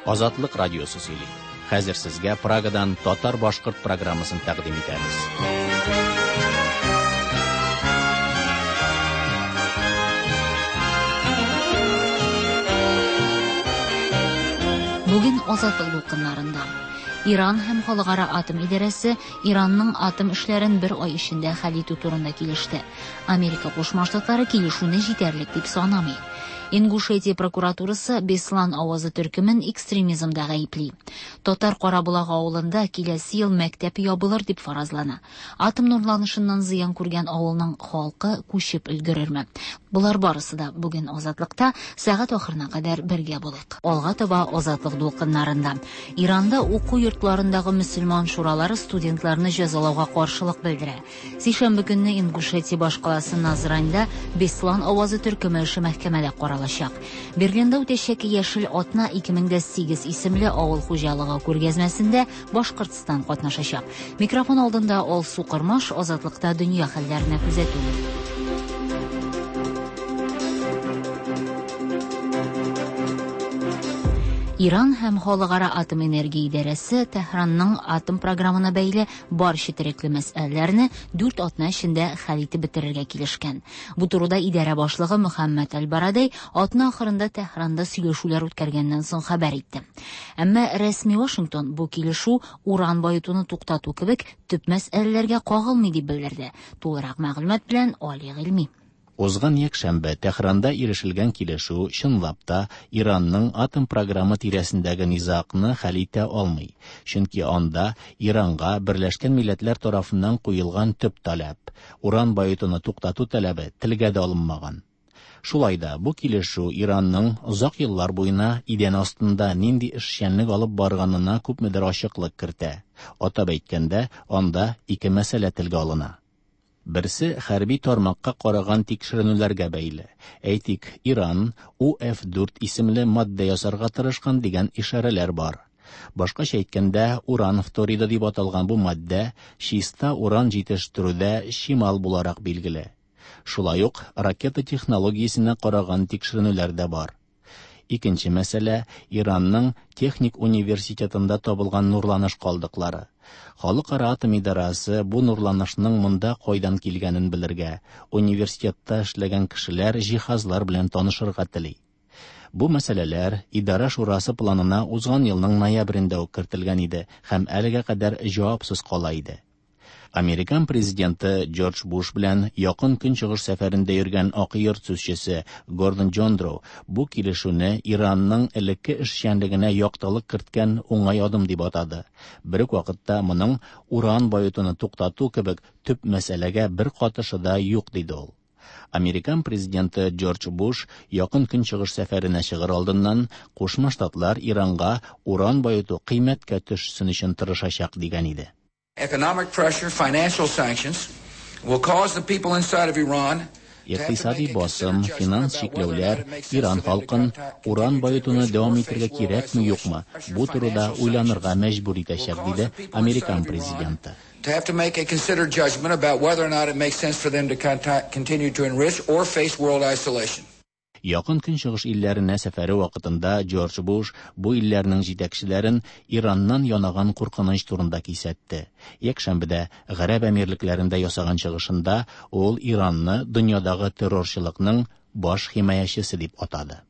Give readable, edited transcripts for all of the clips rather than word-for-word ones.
Азатлык радиосы сөйли. Хәзер сезгә Прагадан татар-башкорт программасын тәкъдим итәбез. Бүген Азатлык дулкыннарында Иран һәм Халыкара атом идарәсе Иранның атом эшләрен бер ай эчендә хәл итү турында килеште. Америка Кушма Штатлары килешүне җитәрлек дип санамый. Ингушетия прокуратурасы Беслан авазы төркемен экстремизмда гаепли. Татар Караболагы авылында киләсе ел мәктәп ябылыр дип фаразлана. Атом нурланышыннан зыян күргән авылның халкы күчеп өлгерерме? Болар барысы да бүген Азатлыкта сәгать ахырына кадәр бергә булыйк. Алга таба Азатлык дулкыннарында. Иранда уку йортларындагы мөселман шуралары студентларны җәзалауга каршылык белдерә. Сишәмбе көнне Ингушетия башкаласы Назраньда Беслан авазы төркеме эше мәхкәмәдә каралачак. Берлинда үтәчәк Яшел атна 2008 исемле авыл хуҗалыгы күргәзмәсендә Башкортстан катнашачак. Микрофон алдында Алсу Кормаш, Азатлыкта дөнья хәлләренә күзәтү. Иран һәм Халыкара атом энергия идарәсе Тәһранның атом програмына бәйле бар четерекле мәсьәләләрне 4 атна эчендә хәл итеп бетерергә килешкән. Бу турыда идарә башлыгы Мөхәммәд Аль-Барадей атна ахырында Тәһранда сөйләшүләр үткәргәннән соң хәбәр итте. Әмма рәсми Вашингтон бу килешү уран баетуны туктату кебек төп мәсьәләләргә кагылмый дип белдерде. Тулырак мәгълүмат белән Али Гыйльми. Узган якшәмбе Тәһранда ирешелгән килешү чынлап та Иранның атом програмы тирәсендәге низагны хәл итә алмый. Чөнки анда Иранга Берләшкән Милләтләр тарафыннан куелган төп таләп уран баетуны туктату таләбе телгә дә алынмаган. Шулай да бу килешү Иранның озак еллар буена идән астында нинди эшчәнлек алып барганына күпмедер ачыклык кертә. Атап әйткәндә, анда ике мәсьәлә телгә алына. Берсе хәрби тармакка караган тикшеренүләргә бәйле. Әйтик, Иран УФ-4 исемле матдә ясарга тырышкан дигән ишарәләр бар. Башкача әйткәндә, уран фториды дип аталган бу матдә чиста уран җитештерүдә чимал буларак билгеле. Шулай ук ракета технологиясенә караган тикшеренүләр дә бар. Икенче мәсьәлә Иранның техник университетында табылган нурланыш калдыклары. Халыкара атом идарәсе бу нурланышның монда кайдан килгәнен белергә, университетта эшләгән кешеләр җиһазлар белән танышырга тели. Бу мәсьәләләр идарә шурасы планына узган елның ноябрендә үк кертелгән иде һәм әлегә кадәр җавапсыз кала иде. Американ президенты Джордж Буш белән якын көнчыгыш сәфәрендә йөргән Ак йорт сүзчесе Гордон Джондроу бу килешүне Иранның элекке эшчәнлегенә яктылык керткән уңай адым дип атады. Бер үк вакытта моның уран баетуны туктату кебек төп мәсьәләгә бер катышы да юк диде ул. Американ президенты Джордж Буш якын көнчыгыш сәфәренә чыгыр алдыннан Кушма Штатлар Иранга уран баету кыйммәткә төшсен өчен тырышачак дигән иде. Economic pressure, financial sanctions will cause the people inside of Iran Икътисади басым, финанс чикләүләр Иран халкын уран баетуны дәвам итәргә кирәкме юкмы, бу турыда уйланырга мәҗбүр итәчәк, диде Американ президенты. To have to make a considered judgment about whether or not it makes sense for them to continue to enrich or face world isolation. Якын көнчыгыш илләренә сәфәре вакытында Джордж Буш бу илләрнең җитәкчеләрен Ираннан янаган куркыныч турында кисәтте. Якшәмбедә Гарәп Әмирлекләрендә ясаган чыгышында ул Иранны дөньядагы террорчылыкның баш химаячысы дип атады.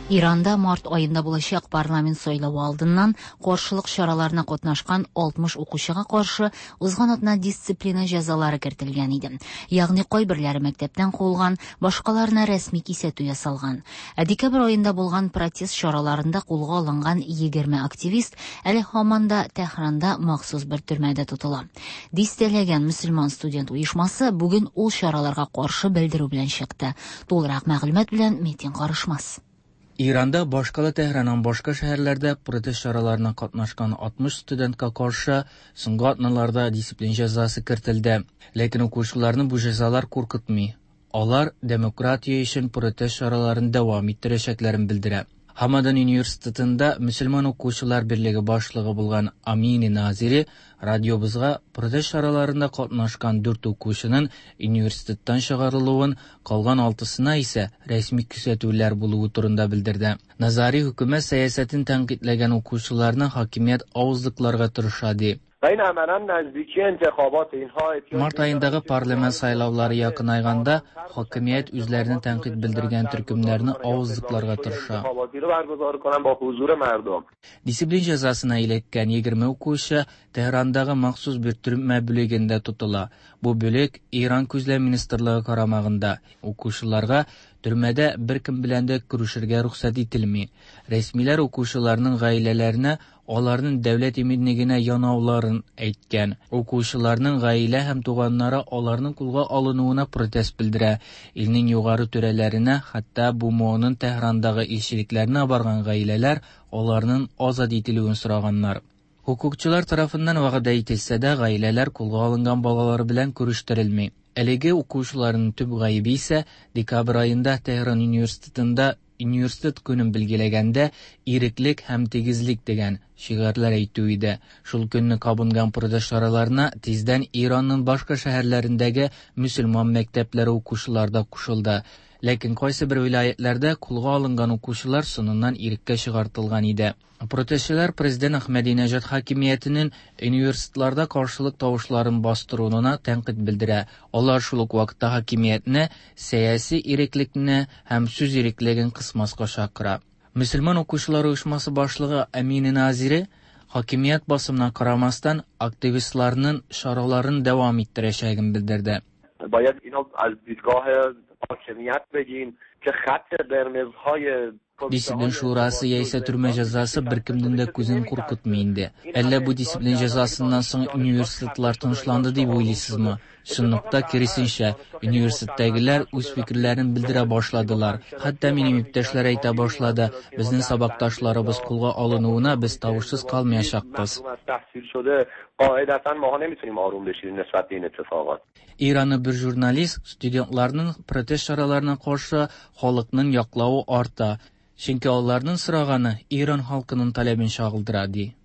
Иранда март аенда булачак парламент сайлавы алдыннан каршылык чараларына катнашкан 60 укучыга каршы узган атна дисциплина җәзалары кертелгән иде. Ягъни кайберләре мәктәптән куылган, башкаларына рәсми кисәтү ясалган. Ә декабрь аенда булган протест чараларында кулга алынган 20 активист әле һаман да Тәһранда махсус бер төрмәдә тотыла. Дистәләгән мөселман студент оешмасы бүген ул чараларга каршы белдерү белән чыкты. Тулырак мәгълүмат белән Метин Карышмас. Иранда башкала Тәһранның башка шәһәрләрдә протест чараларына катнашкан 60 студентка каршы соңгы атналарда дисциплин җәзасы кертелде. Ләкин укучыларны бу җәзалар куркытмый. Алар демократия өчен протест чараларын дәвам иттерәчәкләрен белдерә. Хамадан университетында мөселман укучылар берлеге башлыгы булган Амини Назири радиобызга протест чараларында катнашкан дүрт укучының университеттан чыгарылуын, калган алтысына исә рәсми күзәтүләр булуы турында белдерде. Назари хөкүмәт сәясәтен тәнкыйтьләгән укучыларны хакимият авызлыкларга тырыша ди. Март аендагы парламент сайлаулары якынайганда, хакимият үзләренә тәнкыйть белдергән төркемнәрне авызлыкларга тырыша. Дисциплин җәзасына эләккән 20 укучы Тәһрандагы махсус бер төрмә бүлегендә тотыла. Бу бүлек Иран күзләү министрлыгы карамагында. Укучыларга төрмәдә беркем белән дә күрешергә рөхсәт ителми. Рәсмиләр укучыларның гаиләләренә аларның дәүләт иминлегенә янауларын әйткән. Укучыларның гаилә һәм туганнары аларның кулга алынуына протест белдерә. Илнең югары түрәләренә, хәтта БМОның Тәһрандагы илчелекләренә барган гаиләләр аларның азат ителүен сораганнар. Хукукчылар тарафыннан вәгъдә ителсә дә, гаиләләр кулга алынган балалары белән күрештерелми. Әлеге укучыларның төп гаебе исә декабрь аенда Тәһран университетында университет көнен билгеләгәндә иреклек һәм тигезлек дигән шигарьләр әйтү иде. Шул көнне кабынган протест чараларына тиздән Иранның башка шәһәрләрендәге мөселман мәктәпләре укучылары да кушылды. Ләкин кайсы бер вилаятләрдә кулга алынган укучылар соңыннан иреккә чыгартылган иде. Протестчылар президент Әхмәдинәҗад хакимиятенең университетларда каршылык тавышларын бастыруына тәнкыйть белдерә. Алар шул ук вакытта хакимиятне сәяси иреклекне һәм сүз иреклеген кысмаска чакыра. Мөселман укучылар оешмасы башлыгы Әминә Назири хакимият басымына карамастан активистларның чараларын дәвам иттерәчәген белдерде. باید اینو از دیدگاه حاکمیت بگیم که خط قرمزهای Дисциплин шурасы яисә төрмә җәзасы беркемнең дә күзен куркытмый инде. Әллә бу дисциплин җәзасыннан соң университетлар тынычланды дип уйлыйсызмы? Чынлыкта киресенчә, университеттагылар үз фикерләрен белдерә башладылар. Хәтта минем иптәшләр әйтә башлады, безнең сабакташларыбыз кулга алынуына без тавышсыз калмаячакбыз. قاعدتا ماها نمیتونیم آروم بشینیم نسبت به این اتفاقات. Иранлы бер журналист студентларның протест чараларына каршы халыкның яклавы арта, чөнки аларның сораганы Иран халкының таләбен чагылдыра, ди.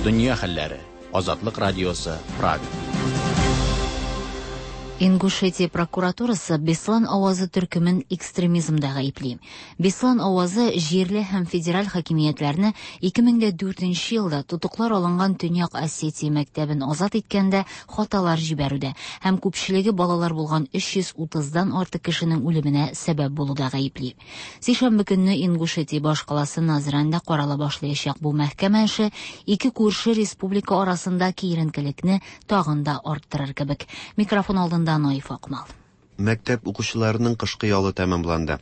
Дөнья хәлләре. Азатлык радиосы, Прага. Ингушетия прокуратурасы Беслан авазы төркемен экстремизмда гаепли. Беслан авазы җирле һәм федераль хакимиятләрне 2004 елда тотыклар алынган Төньяк Осетия мәктәбен азат иткәндә хаталар җибәрүдә һәм күпчелеге балалар булган 330-дан артык кешенең үлеменә сәбәп булуда гаепли. Сишәмбе көнне Ингушетия башкаласы Назранда карала башлаячак бу мәхкәмә эше ике күрше республика арасында киеренкелекне тагын да арттырыр кебек. Микрофон алдында Наиф Акмал. Мәктәп укучыларының кышкы ялы тәмамланды.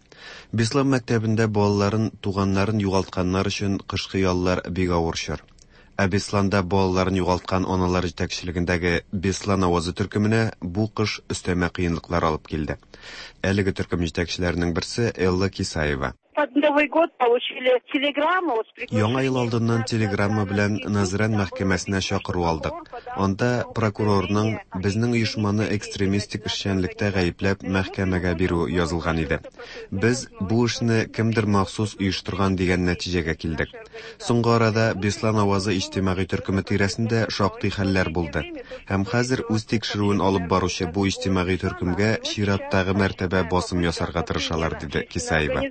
Беслан мәктәбендә балаларын, туганнарын югалтканнар өчен кышкы яллар бик авыр чор. Ә Бесланда балаларын югалткан аналар җитәкчелегендәге Беслан авазы төркеменә бу кыш өстәмә кыенлыклар алып килде. Әлеге төркем җитәкчеләренең берсе Элла Кисаева. Под Новый год получили телеграмму с Яңа ел алдыннан телеграмма белән Назран мәхкәмәсенә чакыру алдык. Анда прокурорның безнең оешманы экстремистик эшчәнлектә гаепләп мәхкәмәгә бирү язылган иде. Без бу эшне кемдер махсус оештырган дигән нәтиҗәгә килдек. Соңгы арада Беслан авазы иҗтимагый төркеме тирәсендә шактый хәлләр булды. Һәм хәзер үз тикшерүен алып баручы бу иҗтимагый төркемгә чираттагы мәртәбә басым ясарга тырышалар, диде Кисаева.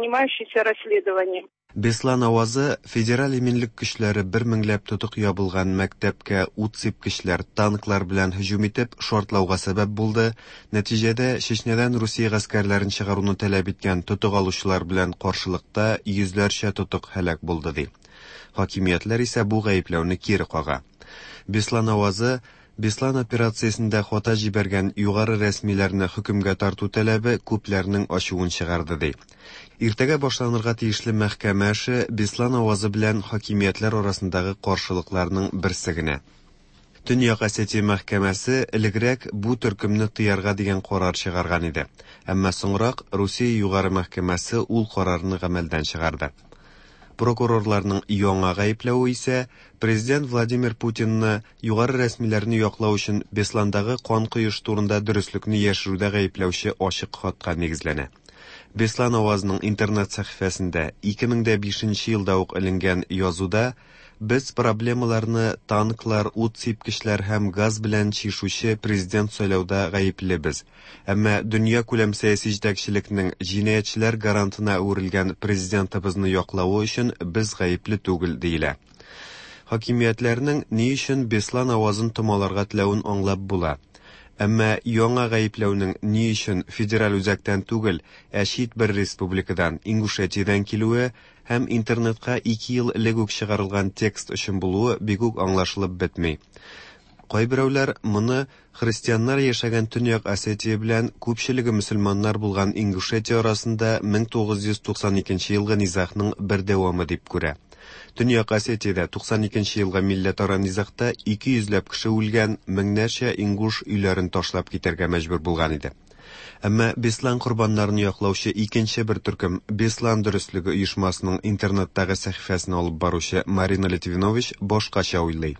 Занимающийся расследованием. Беслан авазы федераль иминлек көчләре бер меңләп тотык ябылган мәктәпкә ут сипкечләр, танклар белән һөҗүм итеп шартлауга сәбәп булды. Нәтиҗәдә Чечнядан Русия гаскәрләрен чыгаруны таләп иткән тотык алучылар белән каршылыкта йөзләрчә тотык һәлак булды, ди. Хакимиятләр исә бу гаепләүне кире кага. Беслан авазы Беслан операциясендә хата җибәргән югары рәсмиләрне хөкемгә тарту таләбе күпләрнең ачуын чыгарды, ди. Иртәгә башланырга тиешле мәхкәмә эше Беслан авазы белән хакимиятләр арасындагы каршылыкларның берсе генә. Төньяк Осетия мәхкәмәсе элегрәк бу төркемне тыярга дигән карар чыгарган иде. Әмма соңрак Русия югары мәхкәмәсе ул карарны гамәлдән чыгарды. Прокурорларның яңа гаепләве исә президент Владимир Путинны югары рәсмиләрне яклау өчен Бесландагы кан коеш турында дөреслекне яшерүдә гаепләүче ачык хатка нигезләнә. Беслан авазының интернет сәхифәсендә 2005 елда ук эленгән язуда без проблемаларны танклар, ут сипкечләр һәм газ белән чишүче президент сайлауда гаеплебез. Әмма дөньякүләм сәяси җитәкчелекнең җинаятьчеләр гарантына әверелгән президентыбызны яклавы өчен без гаепле түгел, диелә. Хакимиятләрнең ни өчен Беслан авазын томаларга теләвен аңлап була. Әмма яңа гаепләүнең ни өчен федераль үзәктән түгел, ә чит бер республикадан, Ингушетиядән килүе һәм интернетка 2 ел элек үк чыгарылган текст өчен булуы бик үк аңлашылып бетми. Кайберәүләр моны христианнар яшәгән Төньяк Осетия белән күпчелеге мөселманнар булган Ингушетия арасында 1992 елгы низагның бер дәвамы дип күрә. Төньяк Осетиядә 92 елгы милләтара низагта 200 ләп кеше үлгән, меңнәрчә ингуш өйләрен ташлап китәргә мәҗбүр булган иде. Әмма Беслан корбаннарын яклаучы икенче бер төркем Беслан дөреслеге оешмасының интернеттагы сәхифәсен алып баручы Марина Литвинович башкача уйлый.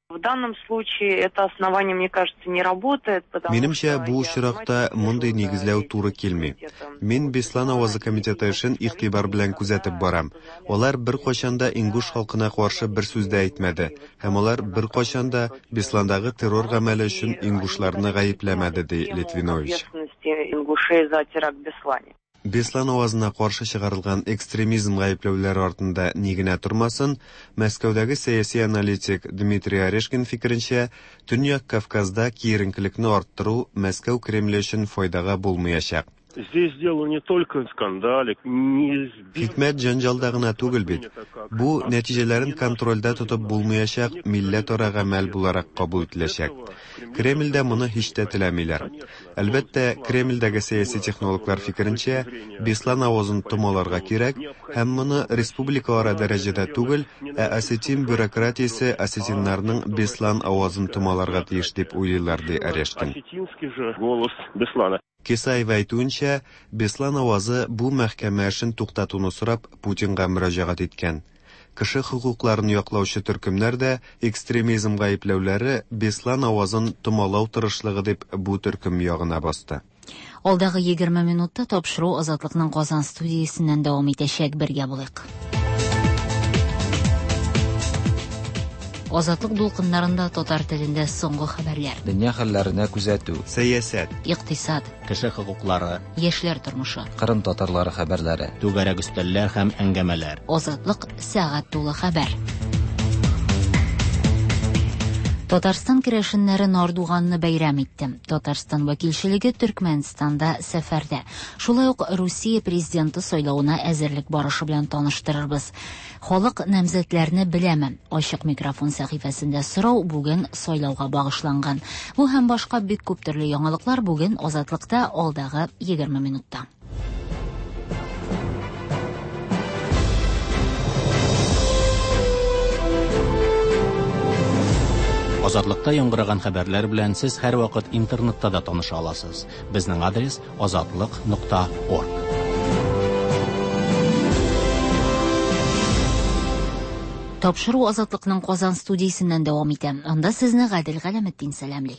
В данном случае это основание, мне кажется, не работает, потому Минемчә, бу очракта мондый нигезләү туры килми. Мин Беслан авазы комитеты эшен игътибар белән күзәтеп барам. Алар беркайчан да ингуш халкына каршы бер сүз дә әйтмәде, һәм алар беркайчан да Бесландагы террор гамәле өчен ингушларны гаепләмәде, ди Литвинович. Ингушей за теракт в Беслане. Беслан авазына каршы чыгарылган экстремизм гаепләүләре артында ни генә тормасын, Мәскәүдәге сәяси аналитик Дмитрий Орешкин фикеренчә, Төньяк Кавказда киеренкелекне арттыру Мәскәү Кремле өчен файдага булмаячак. Здесь дело не только в скандале, не Хикмәт җәнҗалда гына түгел бит. Бу нәтиҗәләрен контрольдә тотып булмаячак милләтара гамәл буларак кабул ителәчәк. Кремльдә моны һич тә теләмиләр. Әлбәттә, Кремльдәге сәяси технологлар фикеренчә, Беслан авазын томаларга кирәк һәм моны республикаара дәрәҗәдә түгел, ә осетин бюрократиясе осетиннарның Беслан авазын томаларга тиеш дип уйлыйлар, ди Орешкин. Осетинский же голос Беслана. Кесаева әйтүенчә, Беслан авазы бу мәхкәмә эшен туктатуны сорап Путинга мөрәҗәгать иткән. Кеше хокукларын яклаучы төркемнәр дә экстремизм гаепләүләре Беслан авазын томалау тырышлыгы дип бу төркем ягына басты. Алдагы 20 минутта тапшыру Азатлыкның Казан студиясеннән дәвам итәчәк. Бергә булыйк. Азатлык дулкыннарында татар телендә соңгы хәбәрләр. Дөнья хәлләренә күзәтү. Сәясәт. Икътисад. Кеше хокуклары. Яшьләр тормышы. Кырым татарлары хәбәрләре. Түгәрәк өстәлләр һәм әңгәмәләр. Азатлык сәгать тулы хәбәр. Татарстан керәшеннәре Нардуганны бәйрәм итте. Татарстан вәкилчелеге Төркмәнстанда сәфәрдә. Шулай ук Русия президенты сайлавына әзерлек барышы белән таныштырырбыз. Халык намзәтләрне беләме? Ачык микрофон сәхифәсендә сорау бүген сайлауга багышланган. Бу һәм башка бик күп төрле яңалыклар бүген Азатлыкта алдагы 20 минутта. Азатлыкта яңгыраган хәбәрләр белән сез һәрвакыт интернетта да таныша аласыз. Безнең адрес azatliq.org. Тапшыру Азатлыкның Казан студиясеннән дәвам итә. Анда сезне Гадел Галәметдин сәламли.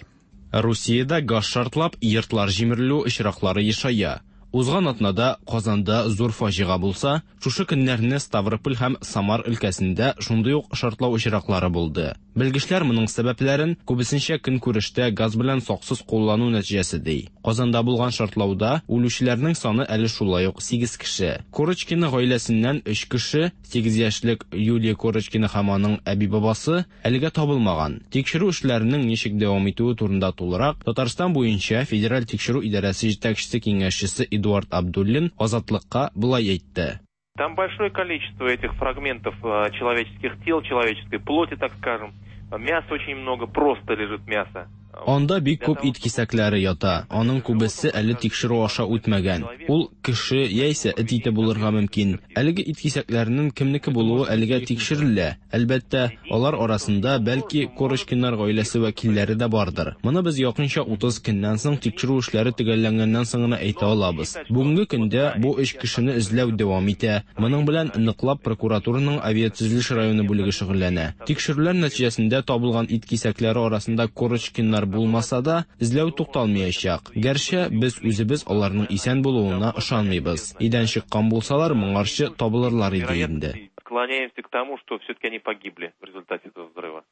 Русиядә газ шартлап, йортлар җимерелү очраклары ешая. Узган атнада Казанда зур фаҗига булса, шушы көннәрне Ставрополь һәм Самар өлкәсендә шундый ук шартлау очраклары булды. Белгечләр моның сәбәпләрен күбесенчә көнкүрештә газ белән саксыз куллану нәтиҗәсе ди. Казанда булган шартлауда үлүчеләрнең саны әле шулай ук 8 кеше. Корочкина гаиләсеннән 3 кеше, 8 яшьлек Юлия Корочкина һәм аның әби-бабасы әлегә табылмаган. Тикшерү эшләренең ничек дәвам итүе турында тулырак Татарстан буенча Федераль тикшерү идарәсе җитәкчесе киңәшчесе Эдуард Абдуллин Азатлыкка болай әйтте. Там большое количество этих фрагментов человеческих тел, человеческой плоти, так скажем. Мяса очень много, просто лежит мясо. Анда бик күп ит кисәкләре ята. Аның күбесе әле тикшерү аша үтмәгән. Ул кеше яисә эт ите булырга мөмкин. Әлеге ит кисәкләренең кемнеке булуы әлегә тикшерелә. Әлбәттә, алар арасында бәлки Корочкиннар гаиләсе вәкилләре дә бардыр. Моны без якынча 30 көннән соң тикшерү эшләре төгәлләнгәннән соң гына әйтә алабыз. Бүгенге көндә бу өч кешене эзләү дәвам итә. Моның белән ныклап прокуратураның авиатөзелеш районы бүлеге шөгыльләнә. Тикшерүләр нәтиҗәсендә табылган ит кисәкләре арасында Корочкиннар урыннар булмаса да, эзләү тукталмаячак. Гәрчә без үзебез аларның исән булуына ышанмыйбыз. Өйдән чыккан булсалар, моңарчы табылырлар иде инде. Склоняемся к тому, что все-таки они погибли в результате этого взрыва.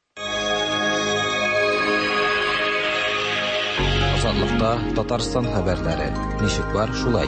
Азатлыкта Татарстан хәбәрләре. Ничек бар, шулай.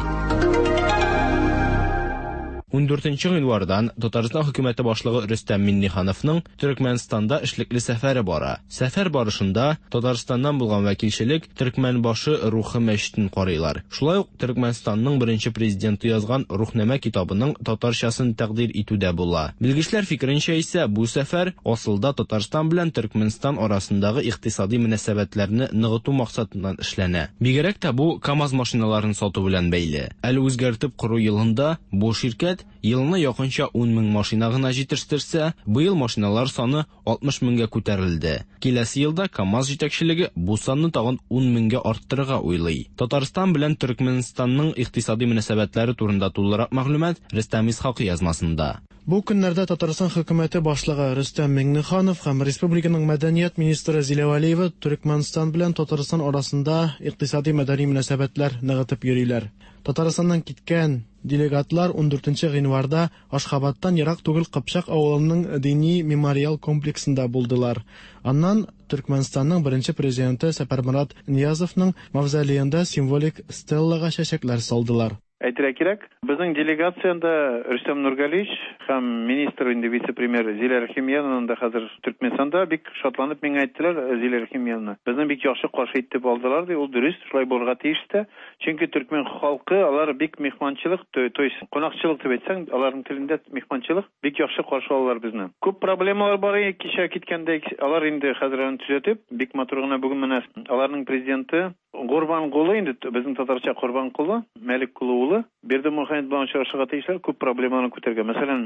14 гыйнвардан Татарстан хөкүмәте башлыгы Рөстәм Миңнехановның Төркмәнстанда эшлекле сәфәре бара. Сәфәр барышында Татарстаннан булган вәкилчелек Төркмәнбашы рухы мәчетен карыйлар. Шулай ук Төркмәнстанның беренче президенты язган Рухнамә китабының татарчасын тәкъдир итү дә була. Белгечләр фикеренчә исә, бу сәфәр асылда Татарстан белән Төркмәнстан арасындагы икътисади мөнәсәбәтләрне ныгыту максатыннан эшләнә. Бигрәк тә бу КАМАЗ машиналарын сату белән бәйле. Әле үзгәртеп кору елында бу ширкәт елына якынча 10 мең машина гына җитештерсә, быел машиналар саны 60 меңгә күтәрелде. Киләсе елда КАМАЗ җитәкчелеге бу санны тагын 10 меңгә арттырырга уйлый. Татарстан белән Төркмәнстанның икътисади мөнәсәбәтләре турында тулырак мәгълүмат Рөстәм Исхакый язмасында. Бу көннәрдә Татарстан хөкүмәте башлыгы Рөстәм Миңнеханов һәм республиканың мәдәният министры Зилә Вәлиева Төркмәнстан белән Татарстан арасында икътисади-мәдәни мөнәсәбәтләр ныгытып йөриләр. Татарстаннан киткән делегатлар 14 гыйнварда Ашхабадтан ерак түгел Кыпчак авылының дини мемориал комплексында булдылар. Аннан Төркмәнстанның беренче президенты Сәпәрморат Ниязовның мавзолеенда символик стеллага чәчәкләр салдылар. Әйтергә кирәк, безнең делегациядә Рөстәм Нургалиевич һәм министр инде вице-премьер Зилә Рәхимьяновна да хәзер Төркмәнстанда бик шатланып миңа әйттеләр, Зилә Рәхимьяновна. Безне бик яхшы каршы итеп алдылар ди, ул дөрес, шулай булырга тиеш тә. Чөнки төркмән халкы алар бик мехманчылык, то, то есть кунакчылык дип әйтсәң, аларның телендә мехманчылык, бик яхшы каршы алалар безне. Күп проблемалар бар иде кичә киткәндә, алар инде хәзер аны төзәтеп, бик матур гына бүген менә аларның президенты Гурбангулы инде безнең татарча Корбанколы, Мәлик Кулы улы Бердымөхәммәд белән очрашырга тиешләр, күп проблеманы күтәргән. Мәсәлән,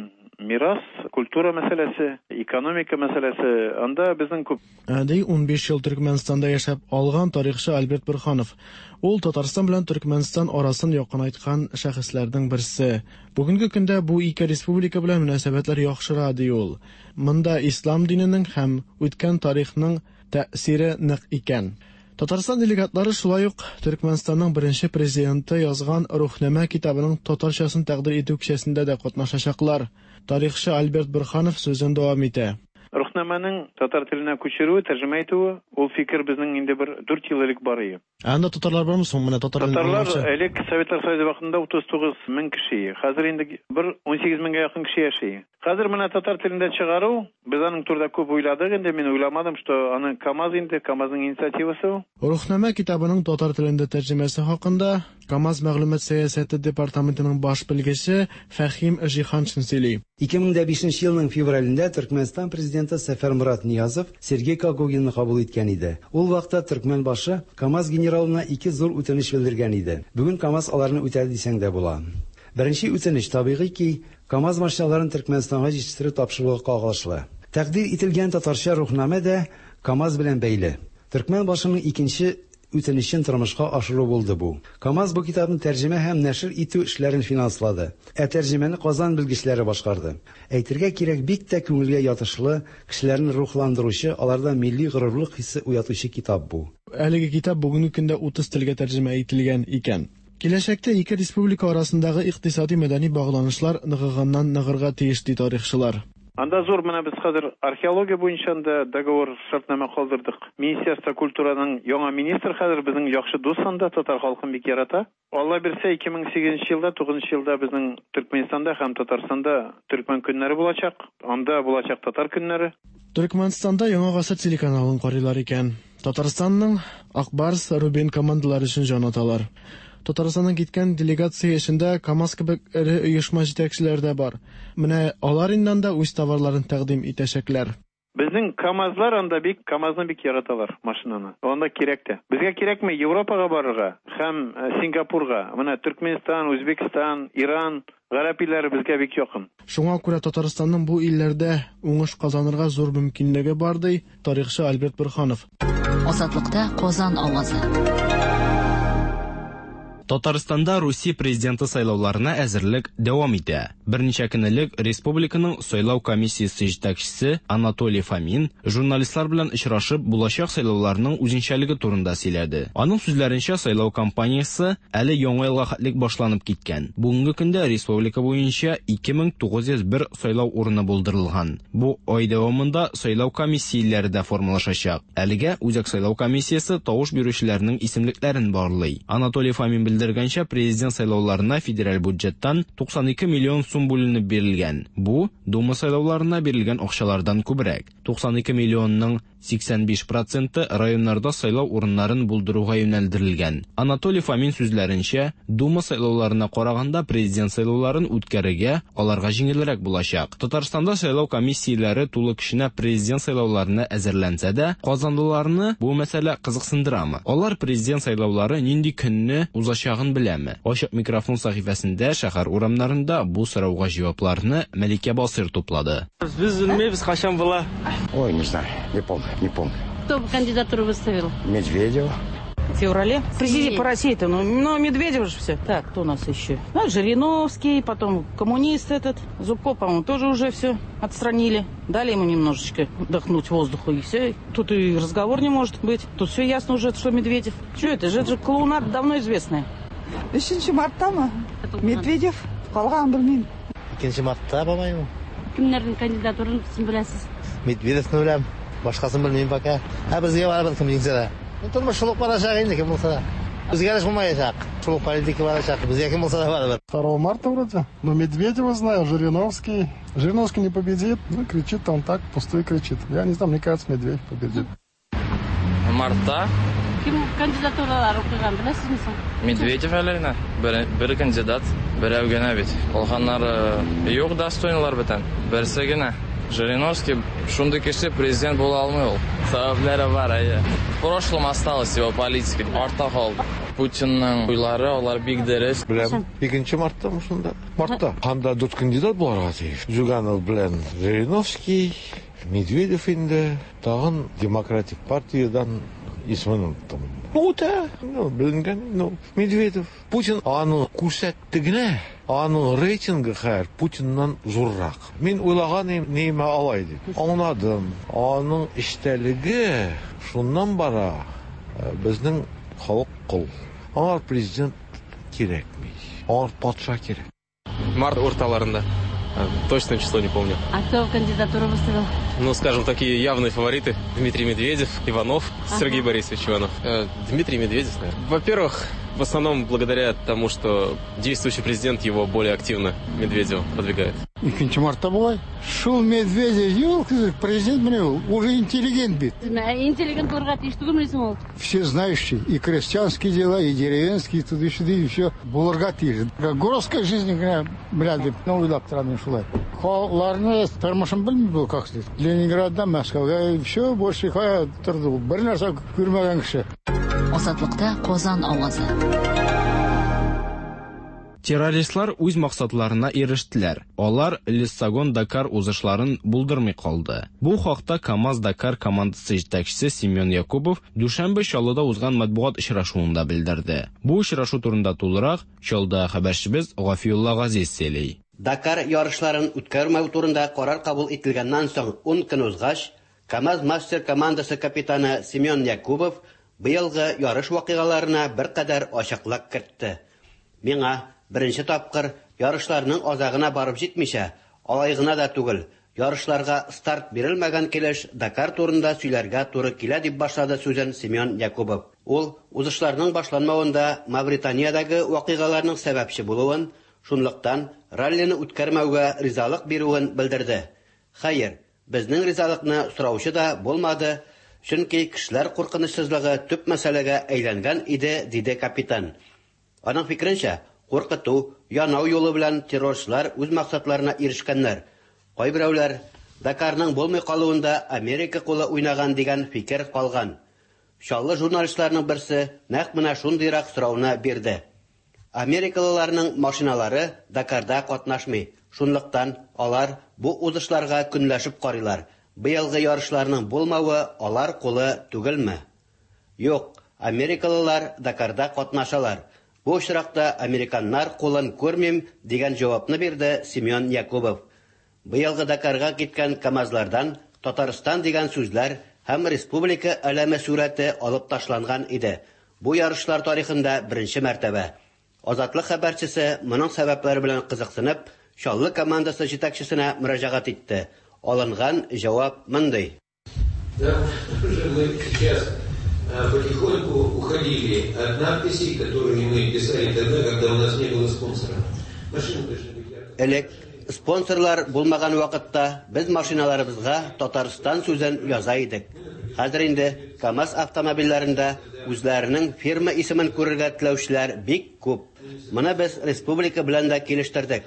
мирас, культура мәсьәләсе, экономика мәсьәләсе, анда безнең күп. Ди 15 ел Төркмәнстанда яшәп алган тарихчы Альберт Борһанов. Ул Татарстан белән Төркмәнстан арасын якынайткан шәхесләрнең берсе. Бүгенге көндә бу ике республика белән мөнәсәбәтләр яхшыра, ди ул. Монда ислам диненең һәм үткән тарихның тәэсире нык икән. Татарстан делегатлары шулай ук Төркмәнстанның беренче президенты язган Рухнамә китабының татарчасын тәкъдир итү кичәсендә дә катнашачаклар. Тарихчы Альберт Борһанов сүзен дәвам итә. Рухнамәнең татар теленә күчерүе, тәрҗемә итүе, ул фикер безнең инде бер 4 ел элек бар иде. Ә анда татарлар бармы соң? Менә татар телен Татарлар аңлаучы. элек Советлар Союзы вакытында 39 мең кеше иде. Хәзер инде бер 18 меңгә якын кеше яши. Хәзер менә татар телендә чыгару, без аның турында күп уйладык инде, мин уйламадым, что аны КАМАЗ инде, КАМАЗның инициативасы ул. Рухнамә китабының татар телендә тәрҗемәсе хакында КАМАЗ мәгълүмат сәясәте департаментының баш белгече Фәһим Җиһаншин сөйли. 2005 елның февралендә Төркмәнстан президенты Сәфәрморат Ниязов Сергей Когогинны кабул иткән иде. Ул вакытта Төркмәнбашы КАМАЗ генералына ике зур үтенеч белдергән иде. Бүген КАМАЗ аларны үтәде дисәң дә була. Беренче үтенеч, табигый ки, КАМАЗ машиналарын Төркмәнстанга җитештерү тапшыруга кагылышлы. Тәкъдир ителгән татарча рухнамә дә КАМАЗ белән бәйле. Төркмән башының икенче үтенечен тормышка ашыру булды бу. КАМАЗ бу китапны тәрҗемә һәм нәшер итү эшләрен финанслады. Ә тәрҗемәне Казан белгечләре башкарды. Әйтергә кирәк, бик тә күңелгә ятышлы, кешеләрне рухландыручы, аларда милли горурлык хисе уятучы китап бу. Әлеге китап бүгенге көндә 30 телгә тәрҗемә ителгән икән. Киләчәктә ике республика арасындагы икътисади мәдәни багланышлар ныгыганнан ныгырга тиеш, ди тарихчылар. Анда зур менә без хәзер археология буенча анда договор шартнамә калдырдык. Министерство культураның яңа министр хәзер безнең яхшы дус анда, татар халкын бик ярата. Алла бирсә, 2008 елда, 9 елда безнең Төркмәнстанда һәм Татарстанда төркмән көннәре булачак. Анда булачак татар көннәре. Төркмәнстанда Яңа гасыр телеканалын карыйлар икән. Татарстанның Ак Барс, Рубин командалары өчен җан аталар. Татарстаннан киткән делегация эчендә КАМАЗ кебек эре оешма җитәкчеләре дә бар. Менә алар инде анда үз товарларын тәкъдим итәчәкләр. Безнең КАМАЗлар анда бик, КАМАЗны бик яраталар, машинаны. Анда кирәк тә. Безгә кирәкме Европага барырга һәм Сингапурга. Менә Төркмәнстан, Үзбәкстан, Иран, гарәп илләре безгә бик якын. Шуңа күрә Татарстанның бу илләрдә уңыш казанырга зур мөмкинлеге бар, ди тарихчы Альберт Борһанов. Азатлыкта Казан авазы. Татарстанда Русия президенты сайлауларына әзерлек дәвам итә. Берничә көн элек республиканың сайлау комиссиясе җитәкчесе Анатолий Фомин журналистлар белән очрашып, булачак сайлауларның үзенчәлеге турында сөйләде. Аның сүзләренчә, сайлау кампаниясе әле Яңа елга хәтлек башланып киткән. Бүгенге көндә республика буенча 2901 сайлау урыны булдырылган. Бу ай дәвамында сайлау комиссияләре дә формалашачак. Әлегә Үзәк сайлау комиссиясе тавыш бирүчеләрнең исемлекләрен барлый. Анатолий Фомин белдергәнчә, президент сайлауларына федераль бюджеттан 92 миллион сум бүленеп бирелгән. Бу, Дума сайлауларына бирелгән акчалардан күбрәк. 92 миллионның 85 проценты районнарда сайлау урыннарын булдыруга юнәлдерелгән. Анатолий Фомин сүзләренчә, Дума сайлауларына караганда президент сайлауларын үткәрергә аларга җиңелрәк булачак. Татарстанда сайлау комиссияләре тулы көченә президент сайлауларына әзерләнсә дә, казанлыларны бу мәсьәлә кызыксындырамы? Алар президент сайлаулары нинди көнне узачагын беләме? Ачык микрофон сәхифәсендә шәһәр урамнарында бу сорауга җавапларны Мәликә Басыйр туплады. Без белмибез, кайчан була. Ой, не знаю, не помню, не помню. Кто кандидатуру выставил? Медведева. В феврале. Президент по России-то, ну, Медведев же все. Так, кто у нас еще? Ну, Жириновский, потом коммунист этот. Зубко, по-моему, тоже уже все отстранили. Дали ему немножечко вдохнуть воздуху, и все. Тут и разговор не может быть. Тут все ясно уже, что Медведев. Что это же? Это же клоунада давно известная. 3 мартта Медведев калганын белмим. 2 мартта, по-моему. Кемнәрнең кандидатурасын беләсез? Медведевны беләм. Башкасын белмим пока. Ә безгә барыбер кем җиңсә дә. Тормыш шул ук барачак инде кем булса да. Үзгәреш булмаячак. Шул ук политика барачак. Безгә кем булса да барыбер. 2 марта вроде. Но Медведева знаю, Жириновский. Жириновский не победит. Ну, кричит он так, пустую кричит. Я не знаю, мне кажется, Медведев победит. Мартта. Кем кандидатуралар куйган беләсезме соң? Медведев әле генә. Бер кандидат, берәү генә бит. Калганнары юк, достойныйлар бөтен. Берсе генә. Жириновский шундый кеше президент була алмый ул. Сәбәпләре бар, әйе. В прошлом осталась его политика, артта калды. Путинның уйлары, алар бик дөрес. Беләм, 2 мартта шунда. Мартта. Анда дүрт кандидат буларга тиеш. Зюганов белән Жириновский, Медведев инде, тагын Демократик партиядан исемен оныттым. Ну, үтә, ну, беленгән, ну, Медведев. Путин аны күрсәтте генә, аның рейтингы хәзер Путиннан зуррак. Мин уйлаган идем, нимә алай дип. Аңладым. Аның эчтәлеге шуннан бара. Безнең халык кол. Аңар президент кирәкми. Аңар патша кирәк. Март урталарында. Точное число не помню. А кто кандидатуру выставил? Ну, скажем, такие явные фавориты. Дмитрий Медведев, Иванов, Ага. Сергей Борисович Иванов. Дмитрий Медведев, наверное. Во-первых, в основном благодаря тому, что действующий президент его более активно, Медведева, продвигает. 2 мартта була. Шул Медведев, елки, президент менә ул, уже интеллигент бит. Интеллигент булырга тиеш түгелме соң ул? Все знающие, и крестьянские дела, и деревенские, и туда-сюда, и все булырга тиеш. Городская жизнь генә белә дип, ну, уйлап торам мин шулай. Халыкларны тормышын белми бу, как сказать. Ленинградда, Мәскәүгә, и все, больше кая торды ул. Бер нәрсә күрмәгән кеше. Азатлыкта Казан авазы. Террористлар үз максатларына ирештеләр. Алар Лиссагон-Дакар узышларын булдырмый калды. Бу хакта КАМАЗ-Дакар командасы җитәкчесе Семен Якубов дүшәмбе Чаллыда узган матбугат очрашуында белдерде. Бу очрашу турында тулырак Чаллыда хәбәрчебез Гафиулла Газиз сөйли. Дакар ярышларын үткәрмәү турында карар кабул ителгәннән соң 10 көн узгач, КАМАЗ-Мастер командасы капитаны Семен Якубов быелгы ярыш вакыйгаларына беркадәр ачыклык кертте. Миңа беренче тапкыр ярышларның азагына барып җитмичә, алай гына да түгел, ярышларга старт бирелмәгән килеш Дакар турында сөйләргә туры килә дип башлады сүзен Семен Якубов. Ул узышларның башланмавында Мавританиядәге вакыйгаларның сәбәпче булуын, шунлыктан раллины үткәрмәүгә ризалык бирүен белдерде. Хәер, безнең ризалыкны сораучы да булмады, чөнки кешеләр куркынычсызлыгы төп мәсьәләгә әйләнгән иде, диде капитан. Аның фикеренчә, куркыту, янау юлы белән террорчылар үз максатларына ирешкәннәр. Кайберәүләр Дакарның булмый калуында Америка кулы уйнаган дигән фикер калган. Чаллы журналистларының берсе нәкъ менә шундыйрак сорауны бирде. Америкалыларның машиналары Дакарда катнашмый. Шунлыктан алар бу узышларга көнләшеп карыйлар. Быелгы ярышларның булмавы алар кулы түгелме? Юк, америкалылар Дакарда катнашалар. Бу очракта американнар кулын күрмим, дигән җавапны бирде Семен Якубов. Быелгы Дакарга киткән КАМАЗлардан Татарстан дигән сүзләр һәм республика әләме сурәте алып ташланган иде. Бу ярышлар тарихында беренче мәртәбә. Азатлык хәбәрчесе моның сәбәпләре белән кызыксынып, Чаллы командасы җитәкчесенә мөрәҗәгать итте. Алынган җавап мондый. Да, уже мы сейчас потихоньку уходили от надписей, которые мы писали тогда, когда у нас не было спонсора. Машины должны быть Элек спонсорлар булмаган вакытта без машиналарыбызга Татарстан сүзен яза идек. Хәзер инде КАМАЗ автомобильләрендә үзләренең фирма исемен күрергә теләүчеләр бик күп. Моны без республика белән дә килештердек.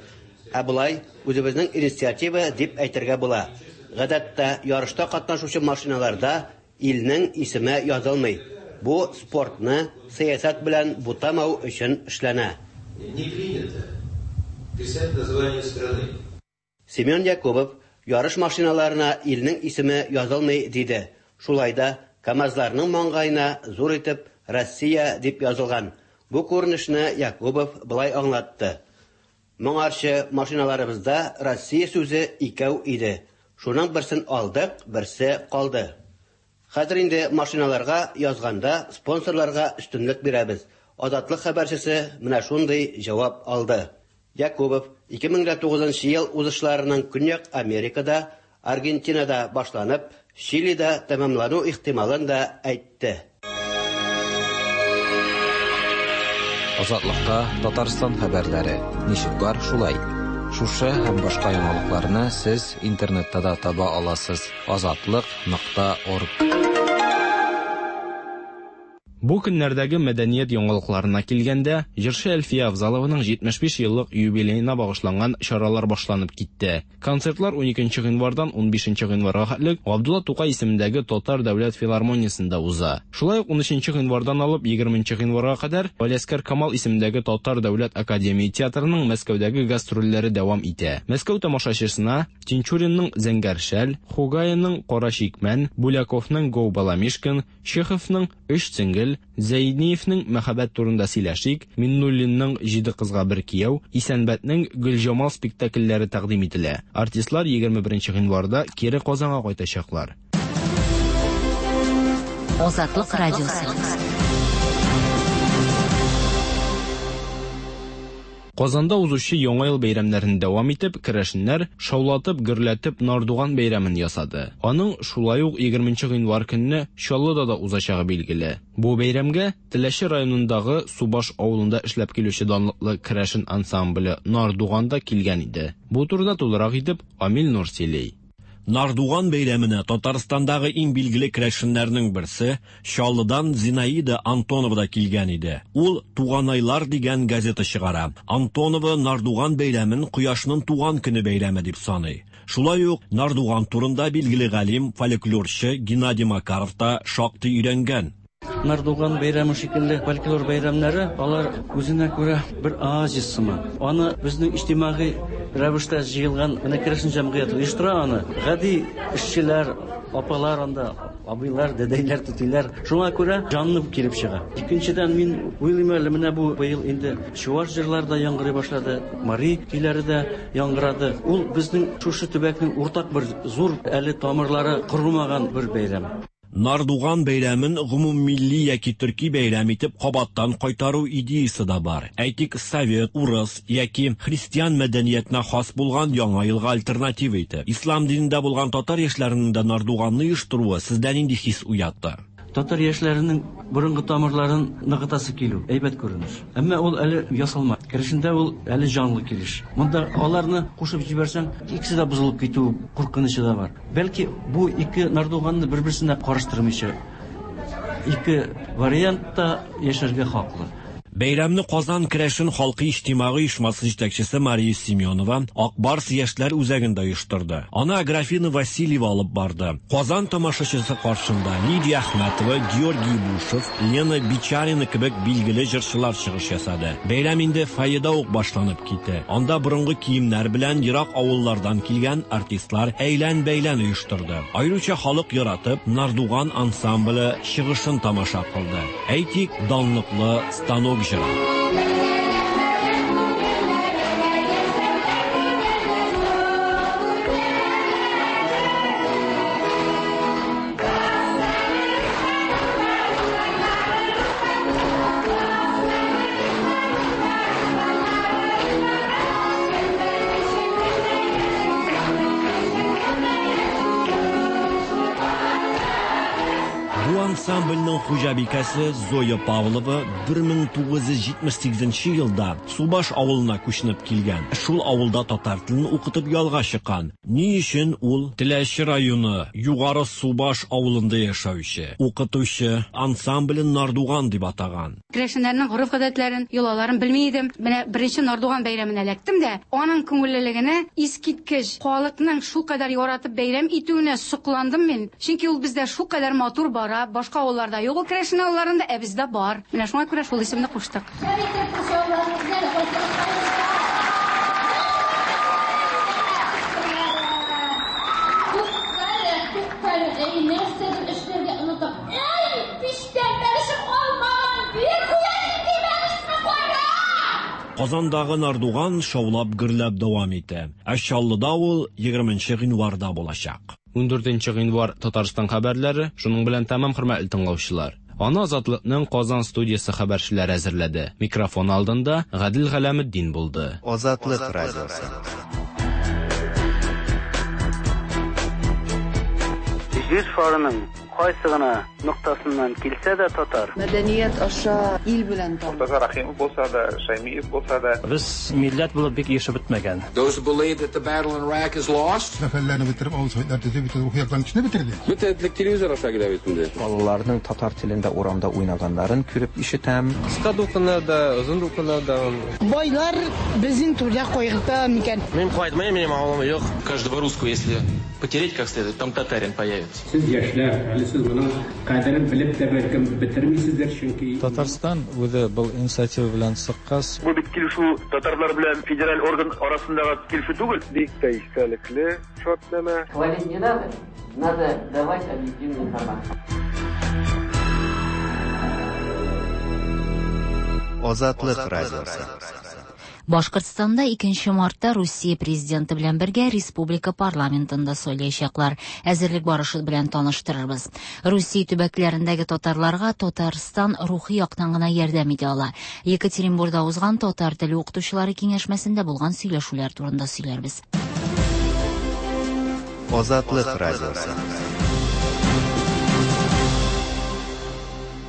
Ә болай үзебезнең инициатива дип әйтергә була. Гадәттә, ярышта катнашучы машиналарда илнең исеме язылмый. Бу спортны сәясәт белән бутамау өчен эшләнә. Не принято писать название страны. Семен Якубов ярыш машиналарына илнең исеме язылмый диде. Шулай да КАМАЗларның маңгаена зур итеп Россия дип язылган. Бу күренешне Якубов болай аңлатты. Моңарчы машиналарыбызда Россия сүзе икәү иде. Шуның берсен алдык, берсе калды. Хәзер инде машиналарга язганда спонсорларга өстенлек бирәбез. Азатлык хәбәрчесе менә шундый җавап алды. Якубов 2009 ел узышларының Көньяк Америкада, Аргентинада башланып, Чилида тәмамлану ихтималын да әйтте. Азатлыкта Татарстан хәбәрләре. Ничек бар, шулай. Шушы һәм башка яңалыкларны сез интернетта да таба аласыз. Азатлык.орг. Бу көннәрдәге мәдәният яңалыкларына килгәндә, җырчы Әлфия Авзалованың 75 еллык юбилеена багышланган чаралар башланып китте. Концертлар 12 гыйнвардан 15 гыйнварга хәтлек Габдулла Тукай исемендәге Татар дәүләт филармониясендә уза. Шулай ук 13 гыйнвардан алып 20 гыйнварга кадәр Галиәсгар Камал исемендәге Татар дәүләт академия театрының Мәскәүдәге гастрольләре дәвам итә. Мәскәү тамашачысына Тинчуринның Зәңгәр шәл, Хугайның Кара чикмән, Буляковның Гоу Баламишкин, Чеховның Өч сеңгел, Зәйниевнең Мәхәббәт турында сөйләшик, Миннуллинның Җиде кызга бер кияү, Исәнбәтнең Гөлҗамал спектакльләре тәкъдим ителә. Артистлар 21 гыйнварда кире Казанга кайтачаклар. Азатлык радиосы. Казанда узучы Яңа ел бәйрәмнәрен дәвам итеп, керәшеннәр шаулатып, гөрләтеп Нардуган бәйрәмен ясады. Аның шулай ук 20 гыйнвар көнне Чаллыда да узачагы билгеле. Бу бәйрәмгә Теләче районындагы Субаш авылында эшләп килүче данлыклы керәшен ансамбле Нардуган да килгән иде. Бу турыда тулырак итеп Амил Нур сөйли. Нардуган бәйрәменә Татарстандагы иң билгеле керәшеннәрнең берсе, Чаллыдан Зинаида Антонова да килгән иде. Ул Туганайлар дигән газета чыгара. Антонова Нардуган бәйрәмен Кояшның туган көне бәйрәме дип саный. Шулай ук Нардуган турында билгеле галим, фольклорчы Геннадий Макаров та шактый өйрәнгән. Нардуган бәйрәме шикелле фольклор бәйрәмнәре, алар үзенә күрә бер оазис сыман. Аны безнең иҗтимагый рәвештә җыелган менә керәшен җәмгыяте оештыра аны. Гади эшчеләр, апалар анда, абыйлар, дәдәйләр, түтиләр. Шуңа күрә җанлы килеп чыга. Икенчедән, мин уйлыйм әле, менә бу быел инде чуаш җырлары да яңгырый башлады, мари көйләре дә яңгырады. Ул безнең шушы төбәкнең уртак бер зур әле тамырлары корымаган бер бәйрәм. Нардуган бәйрәмен гомуммилли яки төрки бәйрәм итеп кабаттан кайтару идеясе дә бар. Әйтик, совет, урыс яки христиан мәдәниятенә хас булган Яңа елга альтернатива итеп. Ислам динендә булган татар яшьләренең дә Нардуганны оештыруы сездә нинди хис уятты? Татар яшьләренең борынгы тамырларын ныгытасы килү, әйбәт күренеш. Әмма ул әле ясалма. Керәшендә ул әле җанлы килеш. Монда аларны кушып җибәрсәң, икесе дә бозылып китү куркынычы да бар. Бәлки бу ике Нардуганны бер-берсенә карыштырмыйча, ике вариантта яшәргә хаклы. Бәйрәмне Казан керәшен халкы иҗтимагый оешмасы җитәкчесе Мария Семенова Ак Барс яшьләр үзәгендә оештырды. Аны Аграфена Васильева алып барды. Казан тамашачысы каршында Лидия Әхмәтова, Георгий Бушев, Лена Бичарина кебек билгеле җырчылар чыгыш ясады. Бәйрәм инде фойеда ук башланып китте. Анда борынгы киемнәр белән ерак авыллардан килгән артистлар әйлән-бәйлән оештырды. Аеруча халык яратып Нардуган ансамбле чыгышын тамаша кылды. Әйтик, данлыклы станок җыры. Бу ансамбльнең хуҗабикәсе Зоя Павлова 1978 елда Субаш авылына күченеп килгән. Шул авылда татар телен укытып ялга чыккан. Ни өчен ул Теләче районы Югары Субаш авылында яшәүче укытучы ансамблен Нардуган дип атаган? Керәшеннәрнең гореф-гадәтләрен, йолаларын белми идем. Менә беренче Нардуган бәйрәменә эләктем дә, аның күңеллелегенә искиткеч, халыкның шулкадәр яратып бәйрәм итүенә сокландым мин. Чөнки ул бездә шулкадәр матур бара, башка авылларда юк ул керәшен авылларында, ә бездә бар. Менә шуңа күрә шул исемне куштык. Шәп итеп кул чабуларыгызны әле кайтарып Туктале, туктале, әй, нәрсәдер эшләргә онытам. Әй, пичтән бәлешем калмаган, бир куя нинди бәлешне кара! Казандагы Нардуган шаулап-гөрләп дәвам итә. Ә Чаллыда ул 20 гыйнварда булачак. 14 гыйнвар Татарстан хәбәрләре шуның белән тәмам, хөрмәтле тыңлаучылар. Аны Азатлыкның Казан студиясе хәбәрчеләре әзерләде. Микрофон алдында Гадел Галәметдин булды. Азатлык радиосы. Җир шарының кайсы гына ноктасыннан килсә дә татар. Мәдәният аша ил белән таныш. Мортаза Рәхимов булса да, Шәймиев булса да. Без милләт булып бик ирешеп бетмәгән. Those who believe that the battle in Iraq is lost. Сәфәрләрне бетереп, авыл советлар төзеп, бөтен рухи яктан көчне бетерде. Бөтен этлек телевизор аша килә бит инде. Балаларның татар телендә урамда уйнаганнарын күреп ишетәм. Кыска дулкыннар да, озын дулкыннар да. Байлар безнең түрдә кайгырта микән? Мин кайтмыйм, минем авылым юк. Каждого русского, если потереть как следует, там татарин появится. Сез яшьләр, әле сез моның кадерен белеп тә бәлкем бетермисездер, чөнки Татарстан үзе был инициатива белән чыккач, Бу бит килешү татарлар белән федераль орган арасындагы килешү түгел. Бик тә истәлекле шартнамә. Хвалить не надо, надо давать объективную информацию. Азатлык радиосы. Башкортстанда 2 мартта Русия президенты белән бергә республика парламентын да сайлаячаклар. Әзерлек барышы белән таныштырырбыз. Русия төбәкләрендәге татарларга Татарстан рухи яктан гына ярдәм итә ала. Екатеринбурда узган татар теле укытучылары киңәшмәсендә булган сөйләшүләр турында сөйләрбез. Азатлык радиосы.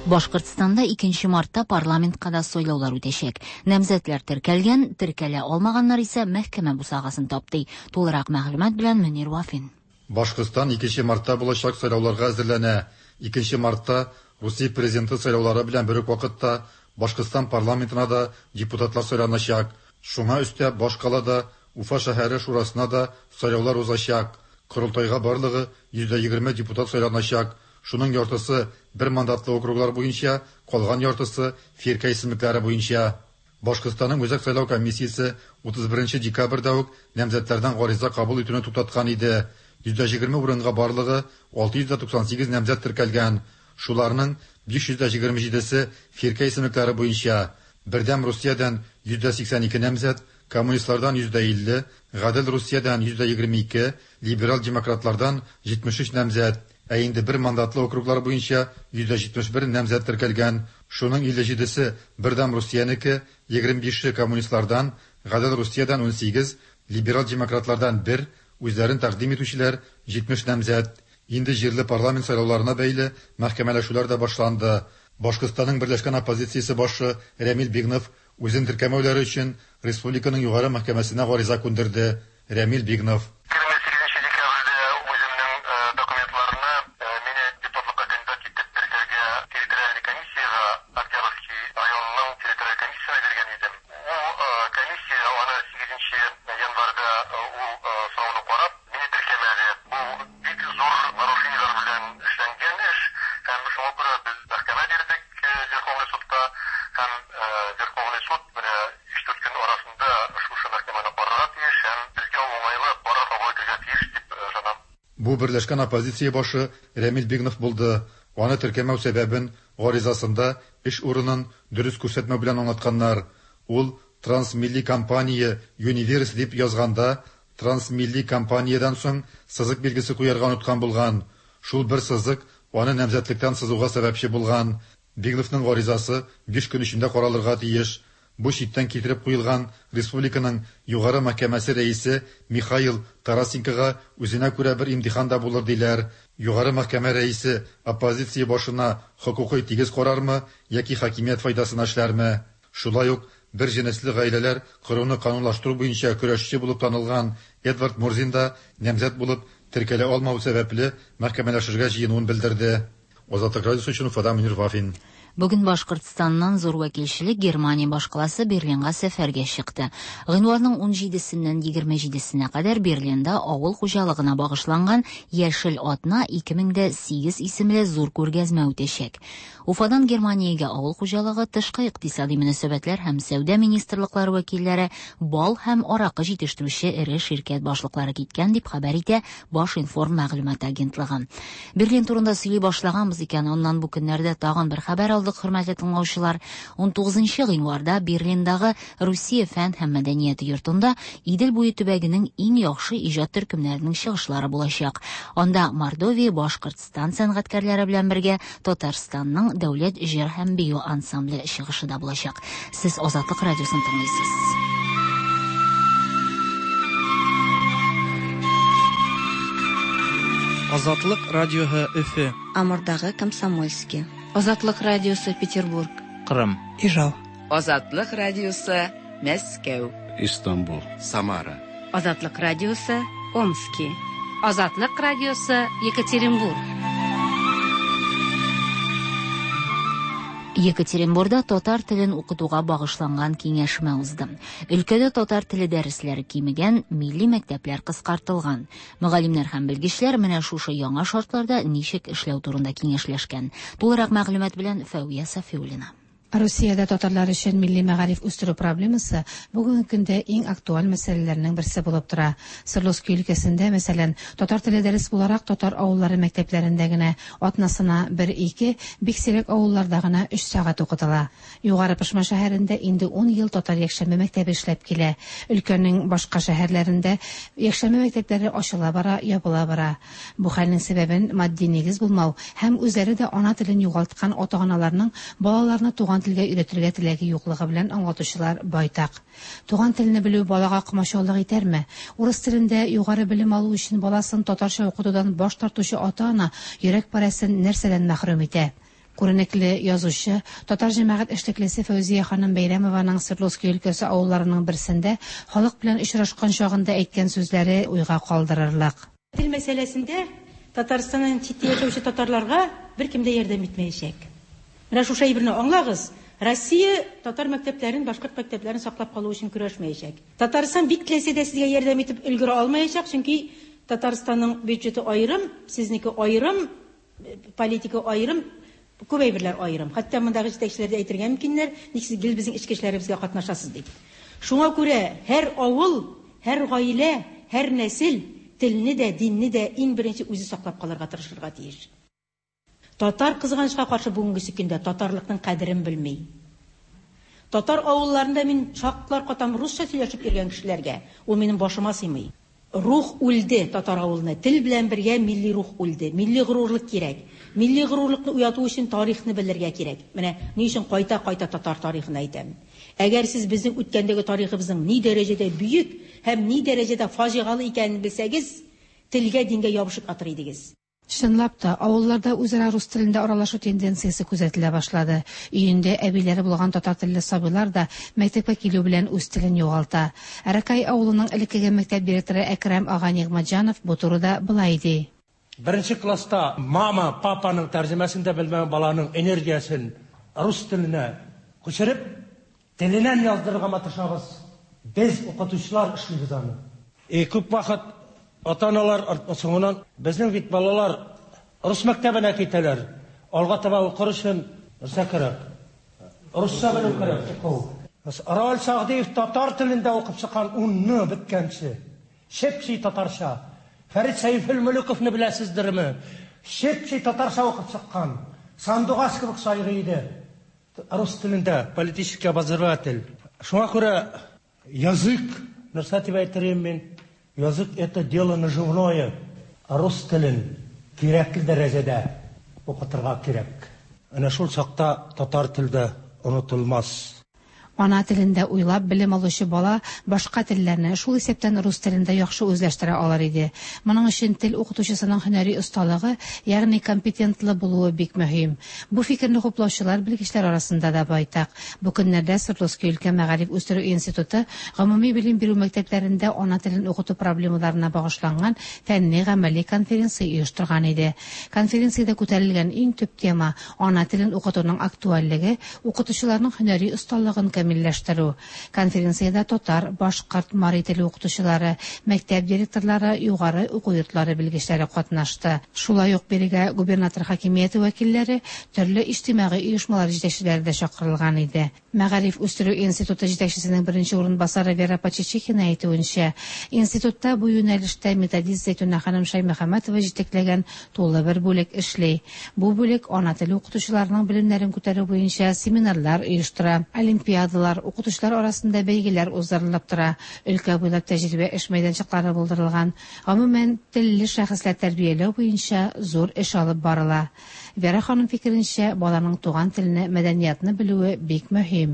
Башкортстанда 2 мартта парламентка да сайлаулар үтәчәк. Намзәтләр теркәлгән, теркәлә алмаганнар исә мәхкәмә бусагасын таптый. Тулырак мәгълүмат белән Мөнир Вафин. Башкортстан 2 мартта булачак сайлауларга әзерләнә. 2 мартта Русия президенты сайлаулары белән бер үк вакытта Башкортстан парламентына да депутатлар сайланачак. Шуңа өстәп башкалада Уфа шәһәре шурасына да сайлаулар узачак. Корылтайга барлыгы 120 депутат сайланачак. Шуның яртысы бер мандатлы округлар буенча, калган яртысы фирка исемлекләре буенча. Башкортстанның Үзәк сайлау комиссиясе 31 декабрьдә үк намзәтләрдән гариза кабул итүне туктаткан иде. 120 урынга барлыгы 698 намзәт теркәлгән. Шуларның 527-се фирка исемлекләре буенча. Бердәм Русиядән 182 намзәт, коммунистлардан 150, Гадел Русиядән 122, либерал демократлардан 73 намзәт. Ә инде бер мандатлы округлар буенча 171 намзәт теркәлгән. Шуның 57-се Бердәм Русиянеке, 25-е коммунистлардан, Гадел Русиядән 18, либерал демократлардан 1, үзләрен тәкъдим итүчеләр 70 намзәт. Инде җирле парламент сайлауларына бәйле мәхкәмәләшүләр дә башланды. Башкортстанның берләшкән оппозициясе башы Рәмил Бигнов үзен теркәмәүләре өчен республиканың югары мәхкәмәсенә гариза күндерде. Рәмил Бигнов. Бу берләшкән оппозиция башы Рәмил Бигнов булды. Аны теркәмәү сәбәбен гаризасында эш урынын дөрес күрсәтмәү белән аңлатканнар. Ул Трансмилли компания Юниверс дип язганда, Трансмилли компаниядән соң сызык билгесе куярга оныткан булган. Шул бер сызык аны намзәтлектән сызуга сәбәпче булган. Бегловның гаризасы биш көн эчендә каралырга тиеш. Бу читтән китереп куелган республиканың Югары мәхкәмәсе рәисе Михаил Тарасенкога үзенә күрә бер имтихан да булыр диләр. Югары мәхкәмә рәисе оппозиция башына хокукый тигез карармы яки хакимият файдасына эшләрме? Шулай ук бер җенесле гаиләләр коруны канунлаштыру буенча көрәшче булып танылган Эдвард Мурзин да намзәт булып теркәлә алмау сәбәпле мәхкәмәләшергә җыенуын белдерде. Азатлык радиосы өчен Уфадан Мөнир Вафин. Бүген Башкортстаннан зур вәкилчелек Германия башкаласы Берлинга сәфәргә чыкты. Гыйнварның 17-сеннән 27-сенә кадәр Берлинда авыл хуҗалыгына багышланган Яшел атна 2008 исемле зур күргәзмә үтәчәк. Уфадан Германиягә авыл хуҗалыгы, тышкы икътисади мөнәсәбәтләр һәм сәүдә министрлыклары вәкилләре, бал һәм аракы җитештерүче эре ширкәт башлыклары киткән, дип хәбәр итә Башинформ мәгълүмат агентлыгы. Берлин турында сөйли башлаганбыз икән, аннан бу көннәрдә тагын бер хәбәр алдык, хөрмәтле тыңлаучылар. 19 гыйнварда Берлиндагы Русия фән һәм мәдәният йортында Идел буе төбәгенең иң яхшы иҗат төркемнәренең чыгышлары булачак. Анда Мордовия, Башкортстан сәнгатькәрләре белән бергә Татарстанның дәүләт җыр һәм бию ансамбле чыгышы да булачак. Сез Азатлык радиосын тыңлыйсыз. Азатлык радиоһы Өфе. Амурдагы Комсомольский. Азатлык радиосы Петербург. Кырым. Ижау. Азатлык радиосы Мәскәү. Истанбул. Самара. Азатлык радиосы Омски. Азатлык радиосы Екатеринбург. Екатеринбурда татар телен укытуга багышланган киңәшмә узды. Өлкәдә татар теле дәресләре кимегән, милли мәктәпләр кыскартылган. Мөгаллимнәр һәм белгечләр менә шушы яңа шартларда ничек эшләү турында киңәшләшкән. Тулырак мәгълүмат белән Фәүя Сафиуллина. Русиядә татарлар өчен милли мәгариф үстерү проблемасы бүгенге көндә иң актуаль мәсьәләләрнең берсе булып тора. Свердловский өлкәсендә, мәсәлән, татар теле дәрес буларак татар авыллары мәктәпләрендә генә атнасына 1-2, бик сирәк авылларда гына 3 сәгать укытыла. Югары Пышма шәһәрендә инде 10 ел татар якшәмбе мәктәбе эшләп килә. Өлкәнең башка шәһәрләрендә якшәмбе мәктәпләре ачыла бара, ябыла бара. Бу хәлнең сәбәбен матди нигез булмау һәм үзләре дә ана телен югалткан ата-аналарның балаларны туган телгә өйрәтергә теләге юклыгы белән аңлатучылар байтак. Туган телне белү балага комачаулык итәрме? Урыс телендә югары белем алу өчен баласын татарча укытудан баш тартучы ата-ана йөрәк парәсен нәрсәдән мәхрүм итә? Күренекле язучы, татар җәмәгать эшлеклесе Фәүзия ханым Бәйрәмованың Свердловский өлкәсе авылларының берсендә халык белән очрашкан чагында әйткән сүзләре уйга калдырырлык. Тел мәсьәләсендә Татарстаннан читтә яшәүче татарларга беркем дә ярдәм итмәячәк. Менә шушы әйберне аңлагыз. Россия татар мәктәпләрен, башкорт мәктәпләрен саклап калу өчен көрәшмәячәк. Татарстан бик теләсә дә сезгә ярдәм итеп өлгерә алмаячак, чөнки Татарстанның бюджеты аерым, сезнеке аерым, политика аерым, күп әйберләр аерым. Хәтта мондагы җитәкчеләр дә әйтергә мөмкиннәр, ник сез гел безнең эчке эшләребезгә катнашасыз дип. Шуңа күрә һәр авыл, һәр гаилә, һәр нәсел телне дә, динне дә иң беренче үзе саклап калырга тырышырга тиеш. Татар кызганычка каршы бүгенге көндә татарлыкның кадерен белми. Татар авылларында мин шаклар катам русча сөйләшеп йөргән кешеләргә, ул минем башыма сыймый. Рух үлде татар авылында. Тел белән бергә милли рух үлде. Милли горурлык кирәк. Милли горурлыкны уяту өчен тарихны белергә кирәк. Менә ни өчен кайта-кайта татар тарихын әйтәм. Әгәр сез безнең үткәндәге тарихыбызның ни дәрәҗәдә бөек һәм ни дәрәҗәдә фаҗигале икәнен белсәгез, телгә, дингә ябышып ятыр идегез. Чынлап та, авылларда үзара рус телендә аралашу тенденциясе күзәтелә башлады. Өендә әбиләре булган татар телле сабыйлар да мәктәпкә килү белән үз телен югалта. Аракай авылының элеккеге мәктәп директоры Әкрәм ага Нигъмәтҗанов бу турыда болай ди. Беренче класста мама, папаның тәрҗемәсен дә белмәгән баланың энергиясен рус теленә күчереп, теленнән яздырырга маташабыз. Без укытучылар эшлибез аны. Күп вакыт ата-аналар соңыннан безнең бит балалар рус мәктәбенә китәләр. Алга таба укыр өчен нәрсә кирәк? Русча белү кирәк, уку. Равил Сәгъдиев татар телендә укып чыккан 10-ны беткәнче. Чеп-чи татарча. Фәрит Сәйфелмөлүковны беләсездерме? Чеп-чи татарча укып чыккан. Сандугач кебек сайрый иде. Рус телендә политический обозреватель. Шуңа күрә язык, нәрсә дип әйтер идем мин, язык это дело наживное. Рус телен кирәкле дәрәҗәдә укытырга кирәк. Әнә шул чакта татар теле дә онытылмас. Ана телендә уйлап белем алучы бала башка телләрне, шул исәптән рус телен дә яхшы үзләштерә алыр иде. Моның өчен тел укытучысының һөнәри осталыгы, ягъни компетентлы булуы бик мөһим. Бу фикерне хуплаучылар белгечләр арасында да байтак. Бу көннәрдә Свердловский өлкә мәгариф үстерү институты гомуми белем бирү мәктәпләрендә ана телен укыту проблемаларына багышланган фәнни-гамәли конференция оештырган иде. Конференциядә күтәрелгән иң төп тема ана телен укытуның актуальлеге, укытучыларның һөнәри осталыгын камилләштерү. Конференциядә татар, башкорт, мари теле укытучылары, мәктәп директорлары, югары уку йортлары белгечләре катнашты. Шулай ук бирегә губернатор хакимияте вәкилләре, төрле иҗтимагый оешмалар җитәкчеләре дә чакырылган иде. Мәгариф үстерү институты җитәкчесенең беренче урынбасары Вера Почечихина әйтүенчә, институтта бу юнәлештә методист Зәйтүнә ханым Шаймөхәммәтова җитәкләгән тулы бер бүлек эшли. Бу бүлек ана теле укытучыларының белемнәрен күтәрү буенча семинарлар оештыра, олимпиадалар, укытучылар арасында бәйгеләр уздырылып тора, өлкә буйлап тәҗрибә эш мәйданчыклары булдырылган. Гомумән, телле шәхесләр тәрбияләү буенча зур эш алып барыла. Вера ханым фикеренчә, баланың туган телене, мәдәниятны белүе бик мөһим.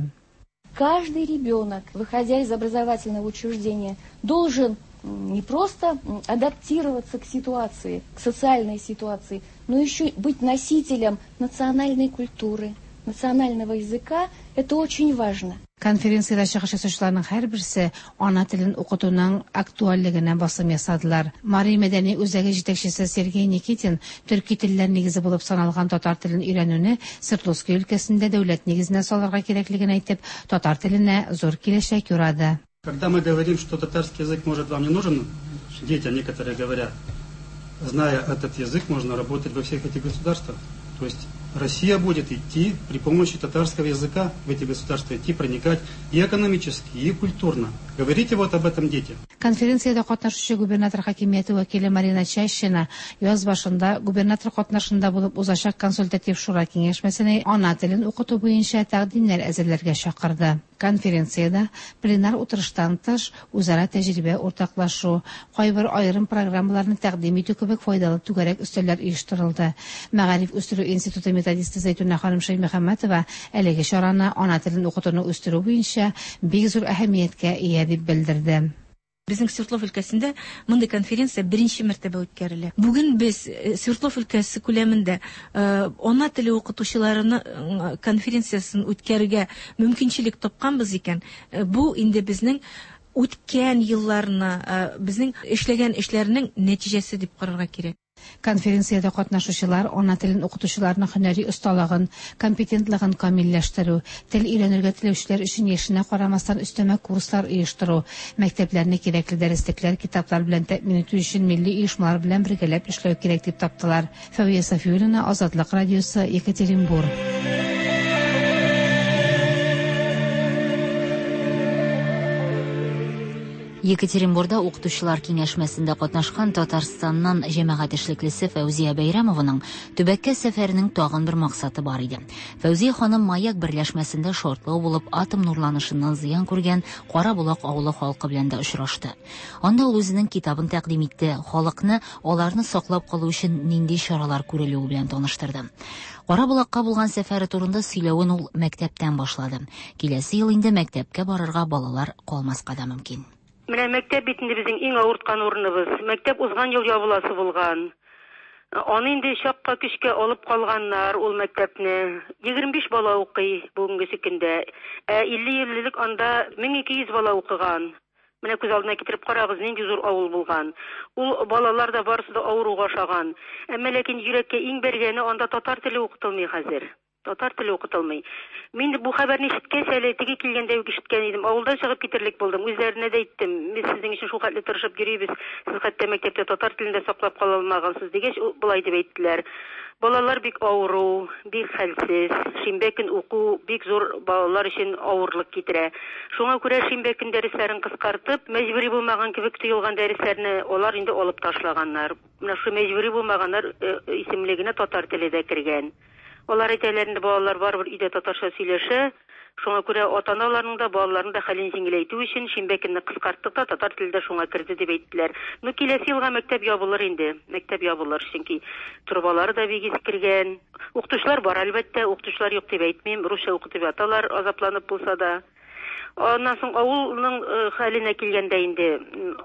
Каждый ребенок, выходя из образовательного учреждения, должен не просто адаптироваться к ситуации, к социальной ситуации, но еще быть носителем национальной культуры, национального языка. Это очень важно. Конференциядә чыгыш ясаучыларның һәрберсе ана телен укытуның актуальлегенә басым ясадылар. Мари мәдәни үзәге җитәкчесе Сергей Никитин төрки телләр нигезе булып саналган татар телен өйрәнүне Свердловский өлкәсендә дәүләт нигезенә салырга кирәклеген әйтеп, татар теленә зур киләчәк юрады. Когда мы говорим, что татарский язык может вам не нужен, детям некоторые говорят, зная этот язык, можно работать во всех этих государствах. То есть Россия будет идти при помощи татарского языка в эти государства, идти, проникать и экономически, и культурно. Говорите вот об этом детям. Конференциядә катнашучы губернатор хакимияте вәкиле Марина Чащина яз башында губернатор катнашында булып узачак консультатив шура киңәшмәсенә ана телен укыту буенча тәкъдимнәр әзерләргә чакырды. Конференциядә пленар утырыштан тыш үзара тәҗрибә уртаклашу, кайбер аерым программаларны тәкъдим итү кебек файдалы түгәрәк өстәлләр оештырылды. Мәгариф үстерү институты методисты Зәйтүнә ханым Шәймөхәммәтова әлеге чараны ана телен укытуны үстерү буенча бик зур әһәмияткә ия дип белдерде. Безнең Свердлов өлкәсендә мондый конференция беренче мәртәбә үткәрелә. Бүген без Свердлов өлкәсе күләмендә ана теле укытучыларының конференциясен үткәрергә мөмкинчелек тапканбыз икән, бу инде безнең үткән елларны, безнең эшләгән эшләрнең нәтиҗәсе дип карарга кирәк. Конференциядә катнашучылар ана телен укытучыларның һөнәри осталыгын, компетентлыгын камилләштерү, тел өйрәнергә теләүчеләр өчен яшенә карамастан өстәмә курслар оештыру, мәктәпләрне кирәкле дәреслекләр, китаплар белән тәэмин итү өчен милли оешмалар белән бергәләп эшләү кирәк дип таптылар. Фәвия Сафиуллина, Азатлык радиосы, Екатеринбург. Екатеринбурда укытучылар киңәшмәсендә катнашкан Татарстаннан җәмәгать эшлеклесе Фәүзия Бәйрәмованың төбәккә сәфәренең тагын бер максаты бар иде. Фәүзия ханым Маяк берләшмәсендә шартлау булып атом нурланышыннан зыян күргән Караболак авылы халкы белән дә очрашты. Анда ул үзенең китабын тәкъдим итте, халыкны аларны саклап калу өчен нинди чаралар күрелүе белән таныштырды. Караболакка булган сәфәре турында сөйләвен ул мәктәптән башлады. Киләсе ел инде мәктәпкә барырга балалар калмаска да мөмкин. Менә мәктәп бит инде безнең иң авырткан урыныбыз. Мәктәп узган ел ябыласы булган. Аны инде чакка көчкә алып калганнар ул мәктәпне. 25 бала укый бүгенге көндә. Ә 50 ел элек анда 1200 бала укыган. Менә күз алдына китереп карагыз, нинди зур авыл булган. Ул балалар да барысы да авыруга ошаган. Әмма ләкин йөрәккә иң бәргәне анда татар теле укытылмый хәзер. Татар теле укытылмый. Мин бу хәбәрне ишеткәч, әле теге килгәндә үк ишеткән идем. Авылдан чыгып китерлек булдым. Үзләренә дә әйттем. Без сезнең өчен шул хәтле тырышып йөрибез. Сез хәтта мәктәптә татар телен дә саклап кала алмагансыз дигәч, болай дип әйттеләр. Балалар бик авыру, бик хәлсез. Шимбә көн уку бик зур балалар өчен авырлык китерә. Шуңа күрә шимбә көн дәресләрен кыскартып, мәҗбүри булмаган кебек тоелган дәресләрне алар инде алып ташлаганнар. Менә шу мәҗбүри булмаганнар исемлегенә татар теле дә кергән. Алар әйтәләр инде, балалар барыбер өйдә татарча сөйләшә. Шуңа күрә ата-аналарның да, балаларның да хәлен җиңеләйтү өчен шимбә көнне кыскарттык та, татар теле дә шуңа керде дип әйттеләр. Ну, киләсе елга мәктәп ябылыр инде. Мәктәп ябылыр, чөнки торбалары да бик искергән. Укытучылар бар, әлбәттә, укытучылар юк дип әйтмим. Русча укытып яталар, азапланып булса да. Аннан соң авылның хәленә килгәндә инде,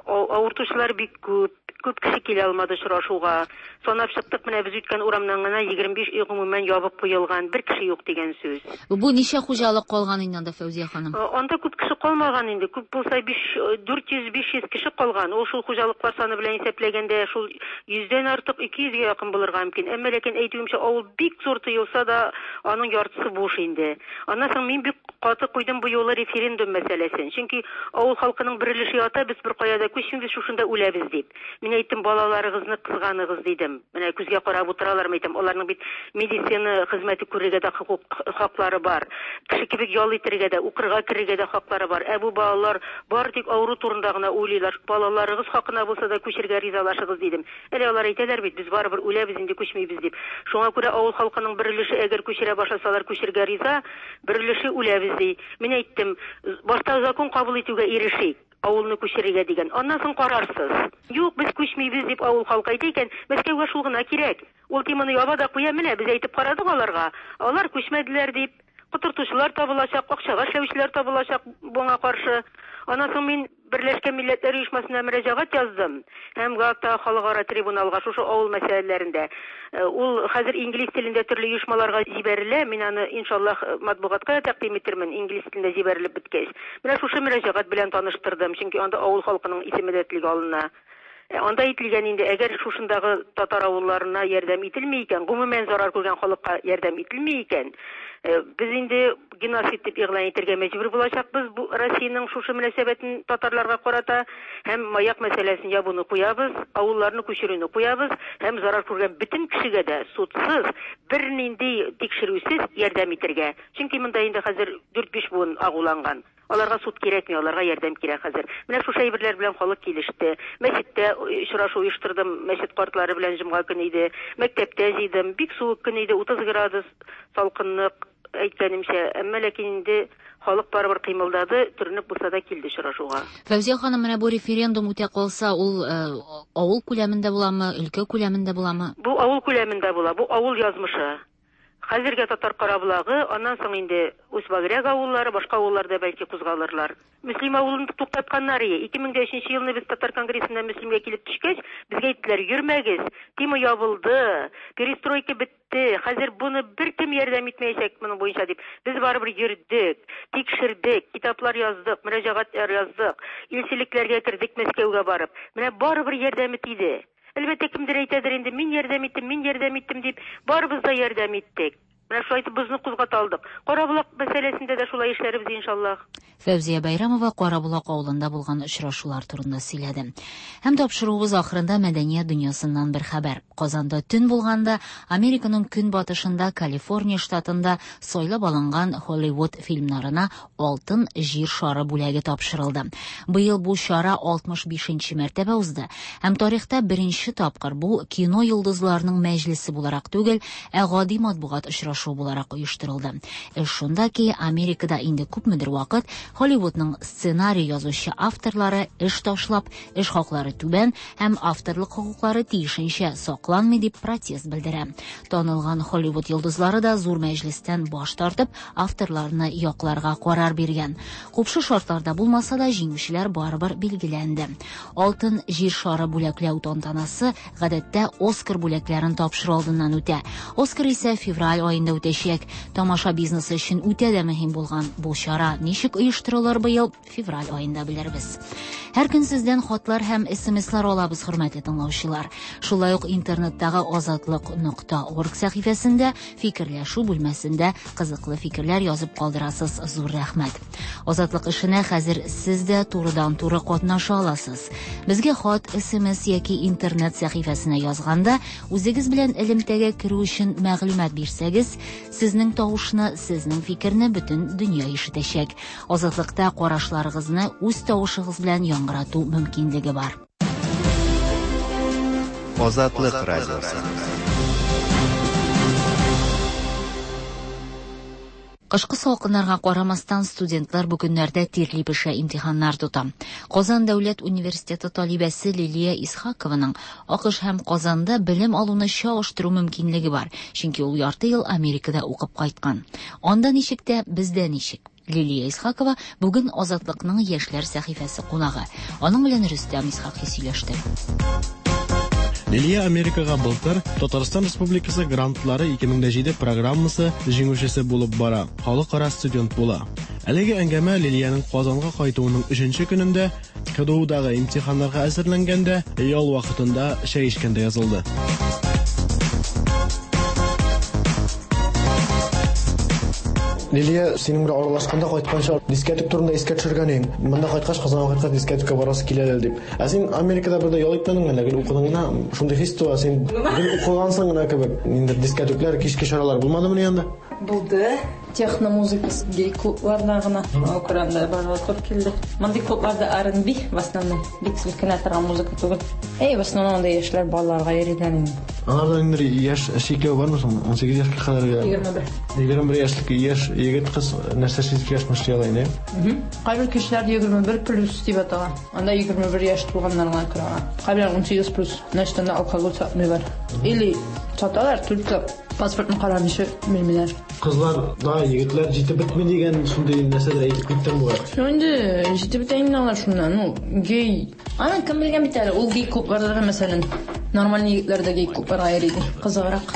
авыртучылар бик күп, күп кеше килә алмады очрашуга. Санап чыктык, менә без үткән урамнан гына 25 өй гомумән ябып куелган, бер кеше юк дигән сүз. Бу ничә хуҗалык калган инде анда, Фәүзия ханым? Анда күп кеше калмаган инде, күп булса 400-500 кеше калган. Ул шул хуҗалыклар саны белән исәпләгәндә шул йөздән артык, 200 гә якын булырга мөмкин. Әмма ләкин әйтүемчә, авыл бик зур тоелса да, аның яртысы буш инде. Аннан соң мин бик каты куйдым бу юлы референдум мәсьәләсен. Чөнки авыл халкының бер өлеше ята, без беркая да күчмибез, шушында үләбез дип. Мин әйттем, балаларыгызны кызганыгыз дидем. Менә күзгә карап утыралар, әйтәм, аларның бит медицина хезмәте күрергә дә хокук хаклары бар. Кеше кебек ял итәргә дә, укырга керергә дә хаклары бар. Ә бу балалар бары тик авыру турында гына уйлыйлар. Балаларыгыз хакына булса да күчергә ризалашыгыз дидем. Әле алар әйтәләр бит, без барыбер үләбез инде, күчмибез дип. Шуңа күрә авыл халкының бер өлеше әгәр күчерә башласалар, күчергә риза, бер өлеше үләбез ди. Мин әйттем, башта закон кабул итүгә ирешик, авылны күчерергә дигән. Аннан соң карарсыз. Юк, без күчмибез дип авыл халкы әйтә икән, Мәскәүгә шул гына кирәк. Ул теманы яба да куя, менә без әйтеп карадык аларга. Алар күчмәделәр дип. Котыртучылар табылачак, акчага эшләүчеләр табылачак моңа каршы. Аннан соң мин Берләшкән Милләтләр Оешмасына мөрәҗәгать яздым һәм Гаагтагы халыкара трибуналга шушы авыл мәсьәләләрендә. Ул хәзер инглиз телендә төрле оешмаларга җибәрелә. Мин аны, иншаллаһ, матбугатка да тәкъдим итермен, инглиз телендә җибәрелеп беткәч. Менә шушы мөрәҗәгать белән таныштырдым, чөнки анда авыл халкының исеме дә телгә алына. Анда әйтелгән инде, әгәр шушындагы татар авылларына ярдәм ителми икән, гомумән зарар күргән халыкка ярдәм ителми икән, без инде геноцид дип игълан итәргә мәҗбүр булачакбыз бу Россиянең шушы мөнәсәбәтен татарларга карата һәм маяк мәсьәләсен ябуны куябыз, авылларны күчерүне куябыз һәм зарар күргән бөтен кешегә дә судсыз, бернинди тикшерүсез ярдәм итәргә. Чөнки монда инде хәзер дүрт-биш буын агуланган. Аларга суд кирәкми, аларга ярдәм кирәк хәзер. Менә шушы әйберләр белән халык килеште. Мәчеттә очрашу оештырдым, мәчет картлары белән җомга көне иде. Мәктәптә җыйдым. Бик суык көн иде, 30 градус салкынлык, әйткәнемчә. Әмма ләкин инде халык барыбер кыймылдады, төренеп булса да килде очрашуга. Фәүзия ханым, менә бу референдум үтә калса, ул авыл күләмендә буламы, өлкә күләмендә буламы? Бу авыл күләмендә була, бу авыл язмышы. Хәзергә Татар Караболагы, аннан соң инде Усть-Багряг авыллары, башка авыллар да бәлки кузгалырлар. Мөслим авылын туктатканнар ие. 2003 елны без Татар конгрессыннан Мөслимгә килеп төшкәч, безгә әйттеләр, йөрмәгез, тема ябылды, перестройка бетте, хәзер буны беркем ярдәм итмәячәк моның буенча дип. Без барыбер йөрдек, тикшердек, китаплар яздык, мөрәҗәгатьләр яздык, илчелекләргә кердек Мәскәүгә барып. Менә барыбер ярдәме тиде. Әлбәттә, кемдер әйтәдер инде, мин ярдәм иттем, мин ярдәм иттем дип, барыбыз да ярдәм иттек. Менә шулай итеп бозны кузгата алдык. Караболак мәсьәләсендә дә шулай эшләрбез, иншаллаһ. Фәүзия Бәйрәмова Караболак авылында булган очрашулар турында сөйләде. Һәм тапшыруыбыз ахырында мәдәният дөньясыннан бер хәбәр. Казанда төн булганда, Американың көнбатышында, Калифорния штатында сайлап алынган Холливуд фильмнарына Алтын җир шары бүләге тапшырылды. Быел бу чара 65 нче мәртәбә узды һәм тарихта беренче тапкыр бу кино йолдызларының мәҗлесе буларак түгел, ә гади матбугат очрашуы буларак оештырылды. Эш шунда ки, Америкада инде күпмедер вакыт Холливудның сценарий язучы авторлары эш ташлап, эш хаклары түбән һәм авторлык хокуклары тиешенчә сакланмый дип протест белдерә. Танылган Холливуд йолдызлары да зур мәҗлестән баш тартып, авторларны якларга карар биргән. Купшы шартларда булмаса да, җиңүчеләр барыбер билгеләнде. Алтын җир шары бүләкләү тантанасы гадәттә Оскар бүләкләрен тапшыру алдыннан үтә. Оскар исә февраль аенда үтәчәк. Тамаша бизнесы өчен үтә дә мөһим булган бу чара ничек оештырылыр быел, февраль аенда белербез. Һәр көн сездән хатлар һәм СМСлар алабыз, хөрмәтле тыңлаучылар. Шулай ук интернеттагы азатлык нокта орг сәхифәсендә фикерләшү бүлмәсендә кызыклы фикерләр язып калдырасыз. Зур рәхмәт. Азатлык эшенә хәзер сез дә турыдан-туры катнаша аласыз. Безгә хат, СМС яки интернет сәхифәсенә язганда, үзегез белән элемтәгә керү өчен мәгълүмат бирсәгез, сезнең тавышны, сезнең фикерне бөтен дөнья ишетәчәк. Азатлыкта карашларыгызны үз тавышыгыз белән яңгырату мөмкинлеге бар. Азатлык радиосы. Кышкы салкыннарга карамастан, студентлар бу көннәрдә тирли-пешә имтиханнар тота. Казан дәүләт университеты талибәсе Лилия Исхакованың АКШ һәм Казанда белем алуны чагыштыру мөмкинлеге бар, чөнки ул ярты ел Америкада укып кайткан. Анда ничек тә, бездә ничек? Лилия Исхакова бүген Азатлыкның яшьләр сәхифәсе кунагы. Аның белән Рөстәм Исхакый сөйләште. Лилия Америкага былтыр Татарстан Республикасы грантлары 2007 программасы җиңүчесе булып бара, халыкара студент була. Әлеге әңгәмә Лилиянең Казанга кайтуының өченче көнендә, КДУдагы имтиханнарга әзерләнгәндә, ял вакытында чәй эчкәндә язылды. Лилия, синең белән аралашканда кайтканчы дискәтүк турында искә төшергән идең. Монда кайткач, Казанга кайткач дискәтүккә барасы килә әле дип. Ә син Америкада бер дә ял итмәдеңме әллә? Гел укыдың гына? Шундый хис туа, син гел укыгансың гына кебек. Ниндидер дискәтүкләр, кичке чаралар булмадымыни анда? Булды. Техно музыкасы гей клубларда гына. Шуңа күрә анда барырга туры килде. Мондый клубларда R&B в основном. Бик селкенә торган музыка түгел. Әй, в основном анда яшьләр балаларга йөриләр инде. Аларда инде яшь чикләү бармы соң? 18 яшькә кадәр. 21. 21 яшьлек яшь егет кыз нәрсә эшли эшли ала инде? Кайбер кешеләр 21 плюс дип атала. Анда 21 яшь тулганнар гына керә ала. Кайбер 18 плюс. Значит, анда алкоголь сатмыйлар. Или саталар, только паспортны карамыйча бирмиләр. Кызлар да, егетләр җитеп бетми дигән шундый нәрсәләр әйтеп киттең бугай. Ну инде җитеп бетә инде алар шуннан. Ну, гей. Аны кем белгән бит әле, ул гей клубларда мәсәлән, нормальный егетләр дә гей клубларга йөри. Кызыграк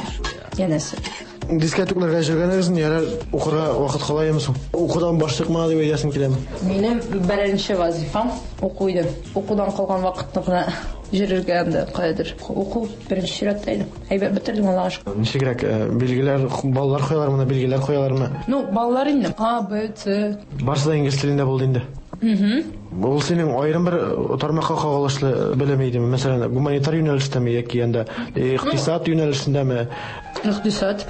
янәсе. Дискәтүкләргә йөргәнегезне ярар укырга вакыт кала яме соң? Укудан баш чыкма дип әйтәсең киләме? Минем беренче вазифам уку иде. Укудан калган вакытны гына йөрергә инде каядыр. Уку беренче чиратта иде. Әйбәт бетердем, Аллага шөкер. Ничегрәк билгеләр, баллар куялармы, билгеләр куялармы? Ну, баллар инде. А, Б, С. Барысы да инглиз телендә булды инде. Ул синең аерым бер тармакка кагылышлы белем идеме? Мәсәлән, гуманитар юнәлештәме яки анда икътисад юнәлешендәме? Икътисад.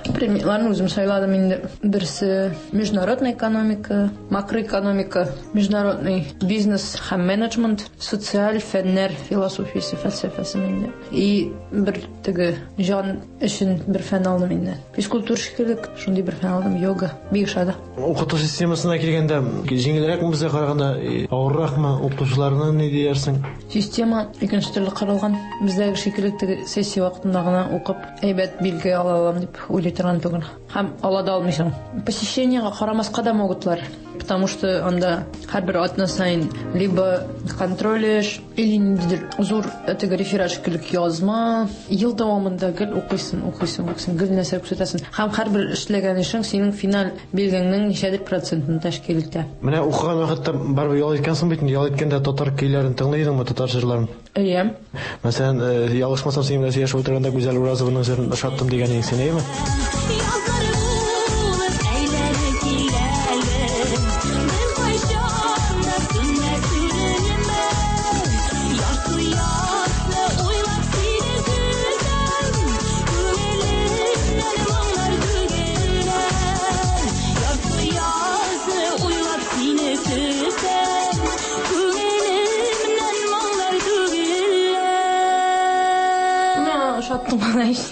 Предметларны үзем сайладым инде. Берсе международная экономика, макроэкономика, международный бизнес һәм менеджмент, социаль фәннәр философиясе, фәлсәфәсе инде. И бер теге җан өчен бер фән алдым инде. Физкультура шикелле шундый бер фән алдым, йога. Бик ошады. Укыту системасына килгәндә, җиңелрәкме безгә караганда, авырракмы? Укытучыларны ни диярсең? Система икенче төрле корылган. Бездәге шикелле теге сессия вакытында гына укып, әйбәт билге ала алам дип уйлый торган түгел. Һәм ала да алмыйсың. Посещениега карамаска да могутлар, потому что анда һәрбер атна саен либо контроль эш, или ниндидер зур теге реферат шикелле язма. Ел дәвамында гел укыйсың, укыйсың, укыйсың, гел нәрсә күрсәтәсең. Һәм һәрбер эшләгән эшең синең финаль билгеңнең ничәдер процентын тәшкил итә. Менә укыган вакытта барыбер ял иткәнсең бит, ял иткәндә татар көйләрен тыңлый идеңме, татар җырларын? Әйе. Мәсәлән, ялгышмасам, синең белән сөйләшеп утырганда Гүзәл Уразованың җырын ошаттым дигән идең син, әйеме?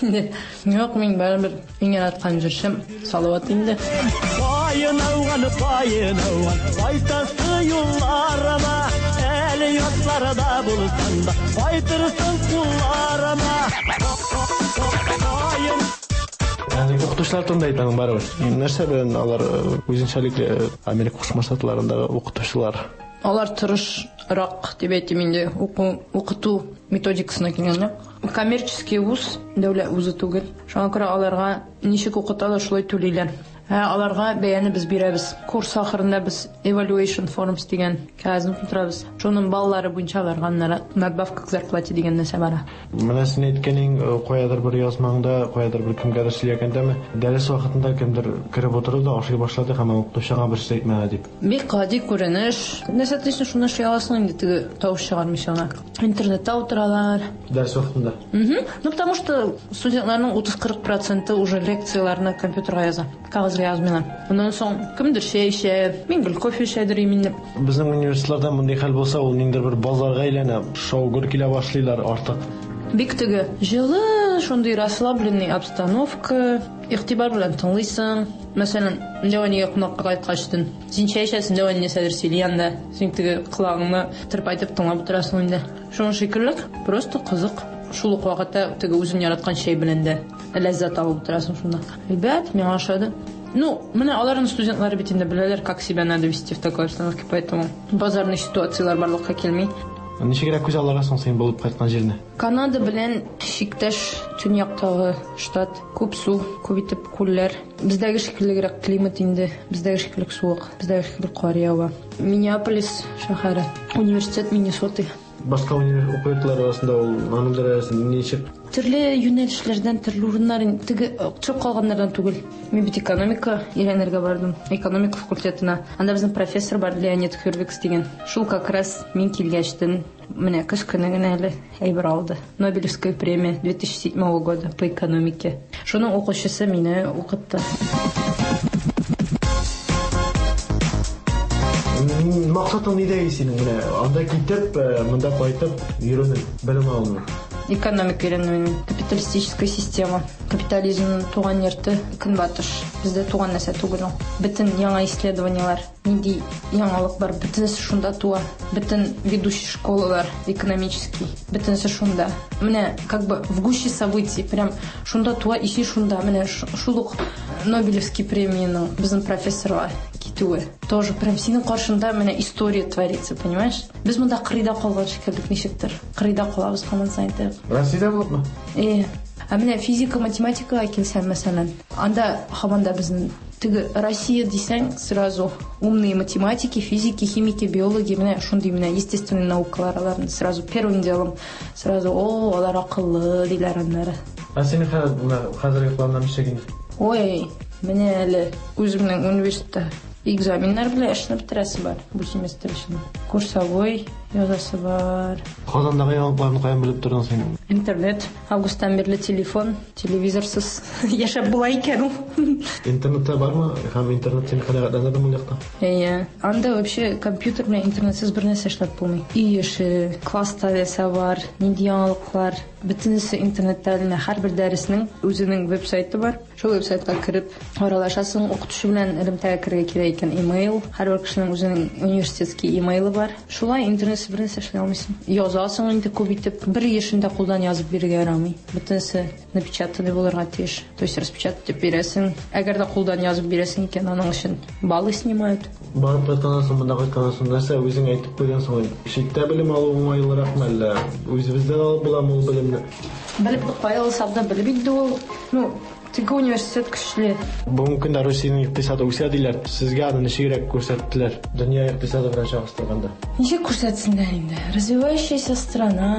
Инде. Юк, мин барыбер иң яраткан җырчым Салават инде. Каен ауган, каен ауган, кайтасы юлларыма, әле ятларда булсаң да, кайтырсың кулларыма. Каен. Әлеге укытучылар турында әйтәм барыбер. Нәрсә белән алар үзенчәлекле Америка Кушма Штатларындагы укытучылар? Алар тырышрак дип әйтим инде, укыту методикасына килгәндә. Коммерческий вуз, дәүләт вузы түгел. Шуңа күрә аларга ничек укыталар, шулай түлиләр. Аларга бәяне без бирәбез. Курс ахырында без evaluation forms дигән кәгазьне тутырабыз. Шуның баллары буенча аларга надбавка к зарплате дигән нәрсә бара. Менә син әйткәнең, каядыр бер язмаңда, каядыр бер кемгәдер сөйләгәндәме, дәрес вакытында кемдер кереп утырды да ашый башлады һәм укытучыга бер сүз әйтмәде дип. Бик гади күренеш. Нәрсә телисең, шуны эшли аласың инде, теге тавыш чыгармыйча гына. Интернетта утыралар. Дәрес вакытында. Ну, потому что студентларның 30-40% уже лекцияләрне компьютерга яза. Кәгазьгә язмыйлар. Аннан соң кемдер чәй эчә, мин гел кофе эчәдер инде. Безнең университетларда мондый хәл булса, ул ниндидер бер базарга әйләнә, шау-гөр килә башлыйлар артык. Бик теге җылы Шундый расслабленный обстановка, игътибар белән тыңлыйсың. Мәсәлән, Дәү әнигә кунакка кайткачтын, син чәй эчәсең, дәү әни нәрсәдер сөйли анда, син теге колагыңны тырпайтып тыңлап утырасың инде. Шуның шикелле, просто кызык. Шул ук вакытта теге үзең яраткан чәй белән дә ләззәт алып утырасың шунда. Ребят, миңа ошады. Ну, менә аларның студентлары бит инде беләләр, как себя надо вести в такой обстановке, поэтому базарный ситуацияләр барлыкка килми. Ничегрәк күз алларга соң син булып кайткан җирне? Канада белән чиктәш төньяктагы штат. Күп су, күп итеп күлләр. Бездәге шикеллерәк климат инде, бездәге шикелле суык, бездәге шикелле кар ява. Миннеаполис шәһәре, университет Миннесоты. Башка универ уку йортлары арасында ул аның дәрәҗәсе ничек? Төрле юнәлешләрдән, төрле урыннар, теге төшеп калганнардан түгел. Мин бит экономика өйрәнергә бардым, экономика факультетына. Анда безнең профессор бар, Леонид Хюрвикс дигән. Шул как раз мин килгәчтен, менә көз көне генә әле әйбер алды. Нобелевская премия 2007 года по экономике. Шуның укучысы мине укытты. Максатың нидә синең менә? Анда китеп, монда кайтып йөрүнең, белем алуның. Экономика өйрәнү, капиталистическая система, капитализм туган йорты Көнбатыш. Бездә туган нәрсә түгел ул. Бөтен яңа исследованиелар, нинди яңалык бар, бөтенесе шунда туа. Бөтен ведущий школалар экономический, бөтенесе шунда. Менә как бы в гуще событий, прям шунда туа, и шунда. Менә шул ук Нобелевский премияның безнең профессорга китүе. Тоже прям синең каршында менә история творится, понимаешь? Без монда кырыйда калган шикелле ничектер. Кырыйда калабыз һаман саен. Россиядә булыпмы? Ә менә физика, математикага килсәң, мәсәлән, анда һаман да безнең теге Россия дисәң, сразу умные математики, физики, химики, биологи, менә шундый менә естественный наукалар аларны сразу первым делом сразу, о, алар акыллы диләр аннары. Ә синең хәзерге планнар ничек инде? Ой, менә әле үземнең университетта экзаменнар белән эшне бетерәсе бар бу семестр өчен. Курсовой язасы бар. Казандагы яңалыкларны каян белеп тордың син? Интернет, августтан бирле телефон, телевизорсыз яшәп була икән ул. Интернетта бармы? Һәм интернет сине канәгатьләндердеме ул якта? Әйе. Анда вообще компьютер белән интернетсыз бер нәрсә эшләп булмый. Өй эше, класста нәрсә бар, нинди яңалыклар, бөтенесе интернетта эленә. Һәрбер дәреснең үзенең веб-сайты бар. Шул веб-сайтка кереп аралашасың, укытучы белән элемтәгә керергә кирәк икән, имейл, һәрбер кешенең үзенең университетский имейлы бар. Шулай интернетсыз бер нәрсә эшли алмыйсың. Язасың инде күп итеп, бер эшен дә кулдан язып бирергә ярамый. Бөтенесе напечатанный булырга тиеш. То есть распечатать итеп бирәсең. Әгәр дә кулдан язып бирәсең икән, аның өчен баллы снимают. Барып кайтканнан соң, монда кайтканнан соң нәрсә үзең әйтеп куйгансың? Читтә белем алу уңайлыракмы әллә? Үзебездән алып буламы ул белемне? Белеп кая алсак да белеп инде ул. Ну, теге университет көчле. Бүгенге көндә Русиянең икътисады үсә диләр. Сезгә аны ничегрәк күрсәттеләр? Дөнья икътисады белән чагыштырганда. Ничек күрсәтсеннәр инде? Развивающаяся страна.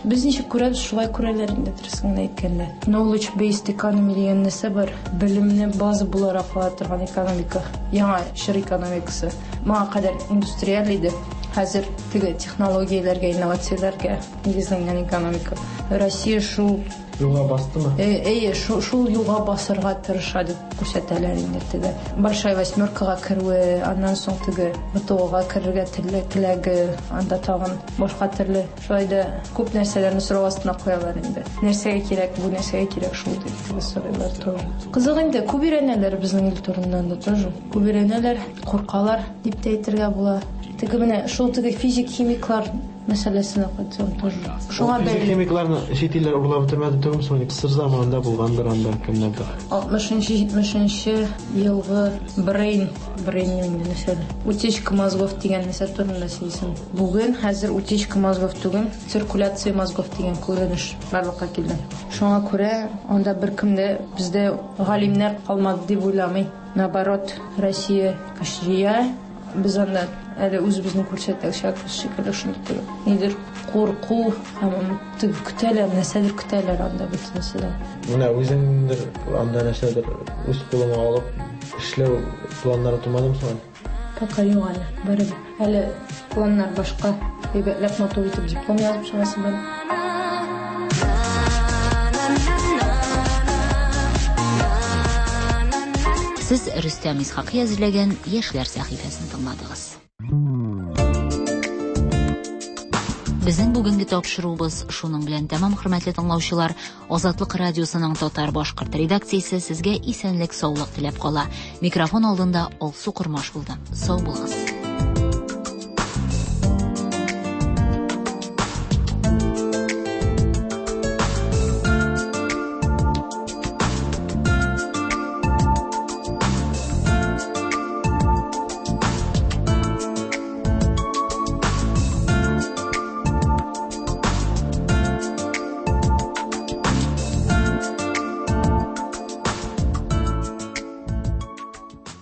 Без ничек күрәбез, шулай күрәләр инде, дөресен генә әйткәндә. Knowledge based economy дигән нәрсә бар. Белемне база буларак ала торган экономика. Яңа чор экономикасы. Моңа кадәр индустриаль иде. Хәзер теге технологияләргә, инновацияләргә нигезләнгән экономика. Россия шул юлга бастымы? Әйе, шул юлга басырга тырыша дип күрсәтәләр инде теге. Большая восьмеркага керүе, аннан соң теге БТОга керергә теләге, анда тагын башка төрле. Шулай да күп нәрсәләрне сорау астына куялар инде. Нәрсәгә кирәк бу, нәрсәгә кирәк шул дип теге сорыйлар тоже. Кызык инде, күп өйрәнәләр безнең ил турыннан да тоже. Күп өйрәнәләр, куркалар дип тә әйтергә була. Теге менә шул теге физик химиклар мәсьәләсенә кайтсам тоже. Шуңа бәйле. Физик химикларны чит илләр урлап бетермәде түгелме соң? СССР заманында булгандыр анда кемнәрдер. 60-70 елгы брейн, брейн нәрсә? Утечка мозгов дигән нәрсә турында сөйлисең. Бүген хәзер утечка мозгов түгел, циркуляция мозгов дигән күренеш барлыкка килде. Шуңа күрә анда беркем дә бездә галимнәр калмады дип уйламый. Наоборот, Россия көчле. Без анда әле үзебезне күрсәтәчәкбез шикелле, шундый теге нидер курку һәм теге көтәләр, нәрсәдер көтәләр анда бөтенесе дә. Менә үзеңдер анда нәрсәдер үз кулыңа алып эшләү планнары тумадымы соң? Пока юк әле, барыбер. Әле планнар башка. Әйбәтләп матур итеп диплом язып чыгасы бар. Сез Рөстәм Исхакый әзерләгән Яшьләр сәхифәсен тыңладыгыз. Безнең бүгенге тапшыруыбыз шуның белән тәмам, хөрмәтле тыңлаучылар. Азатлык радиосының татар-башкорт редакциясе сезгә исәнлек-саулык теләп кала. Микрофон алдында Алсу Кормаш булды. Сау булыгыз.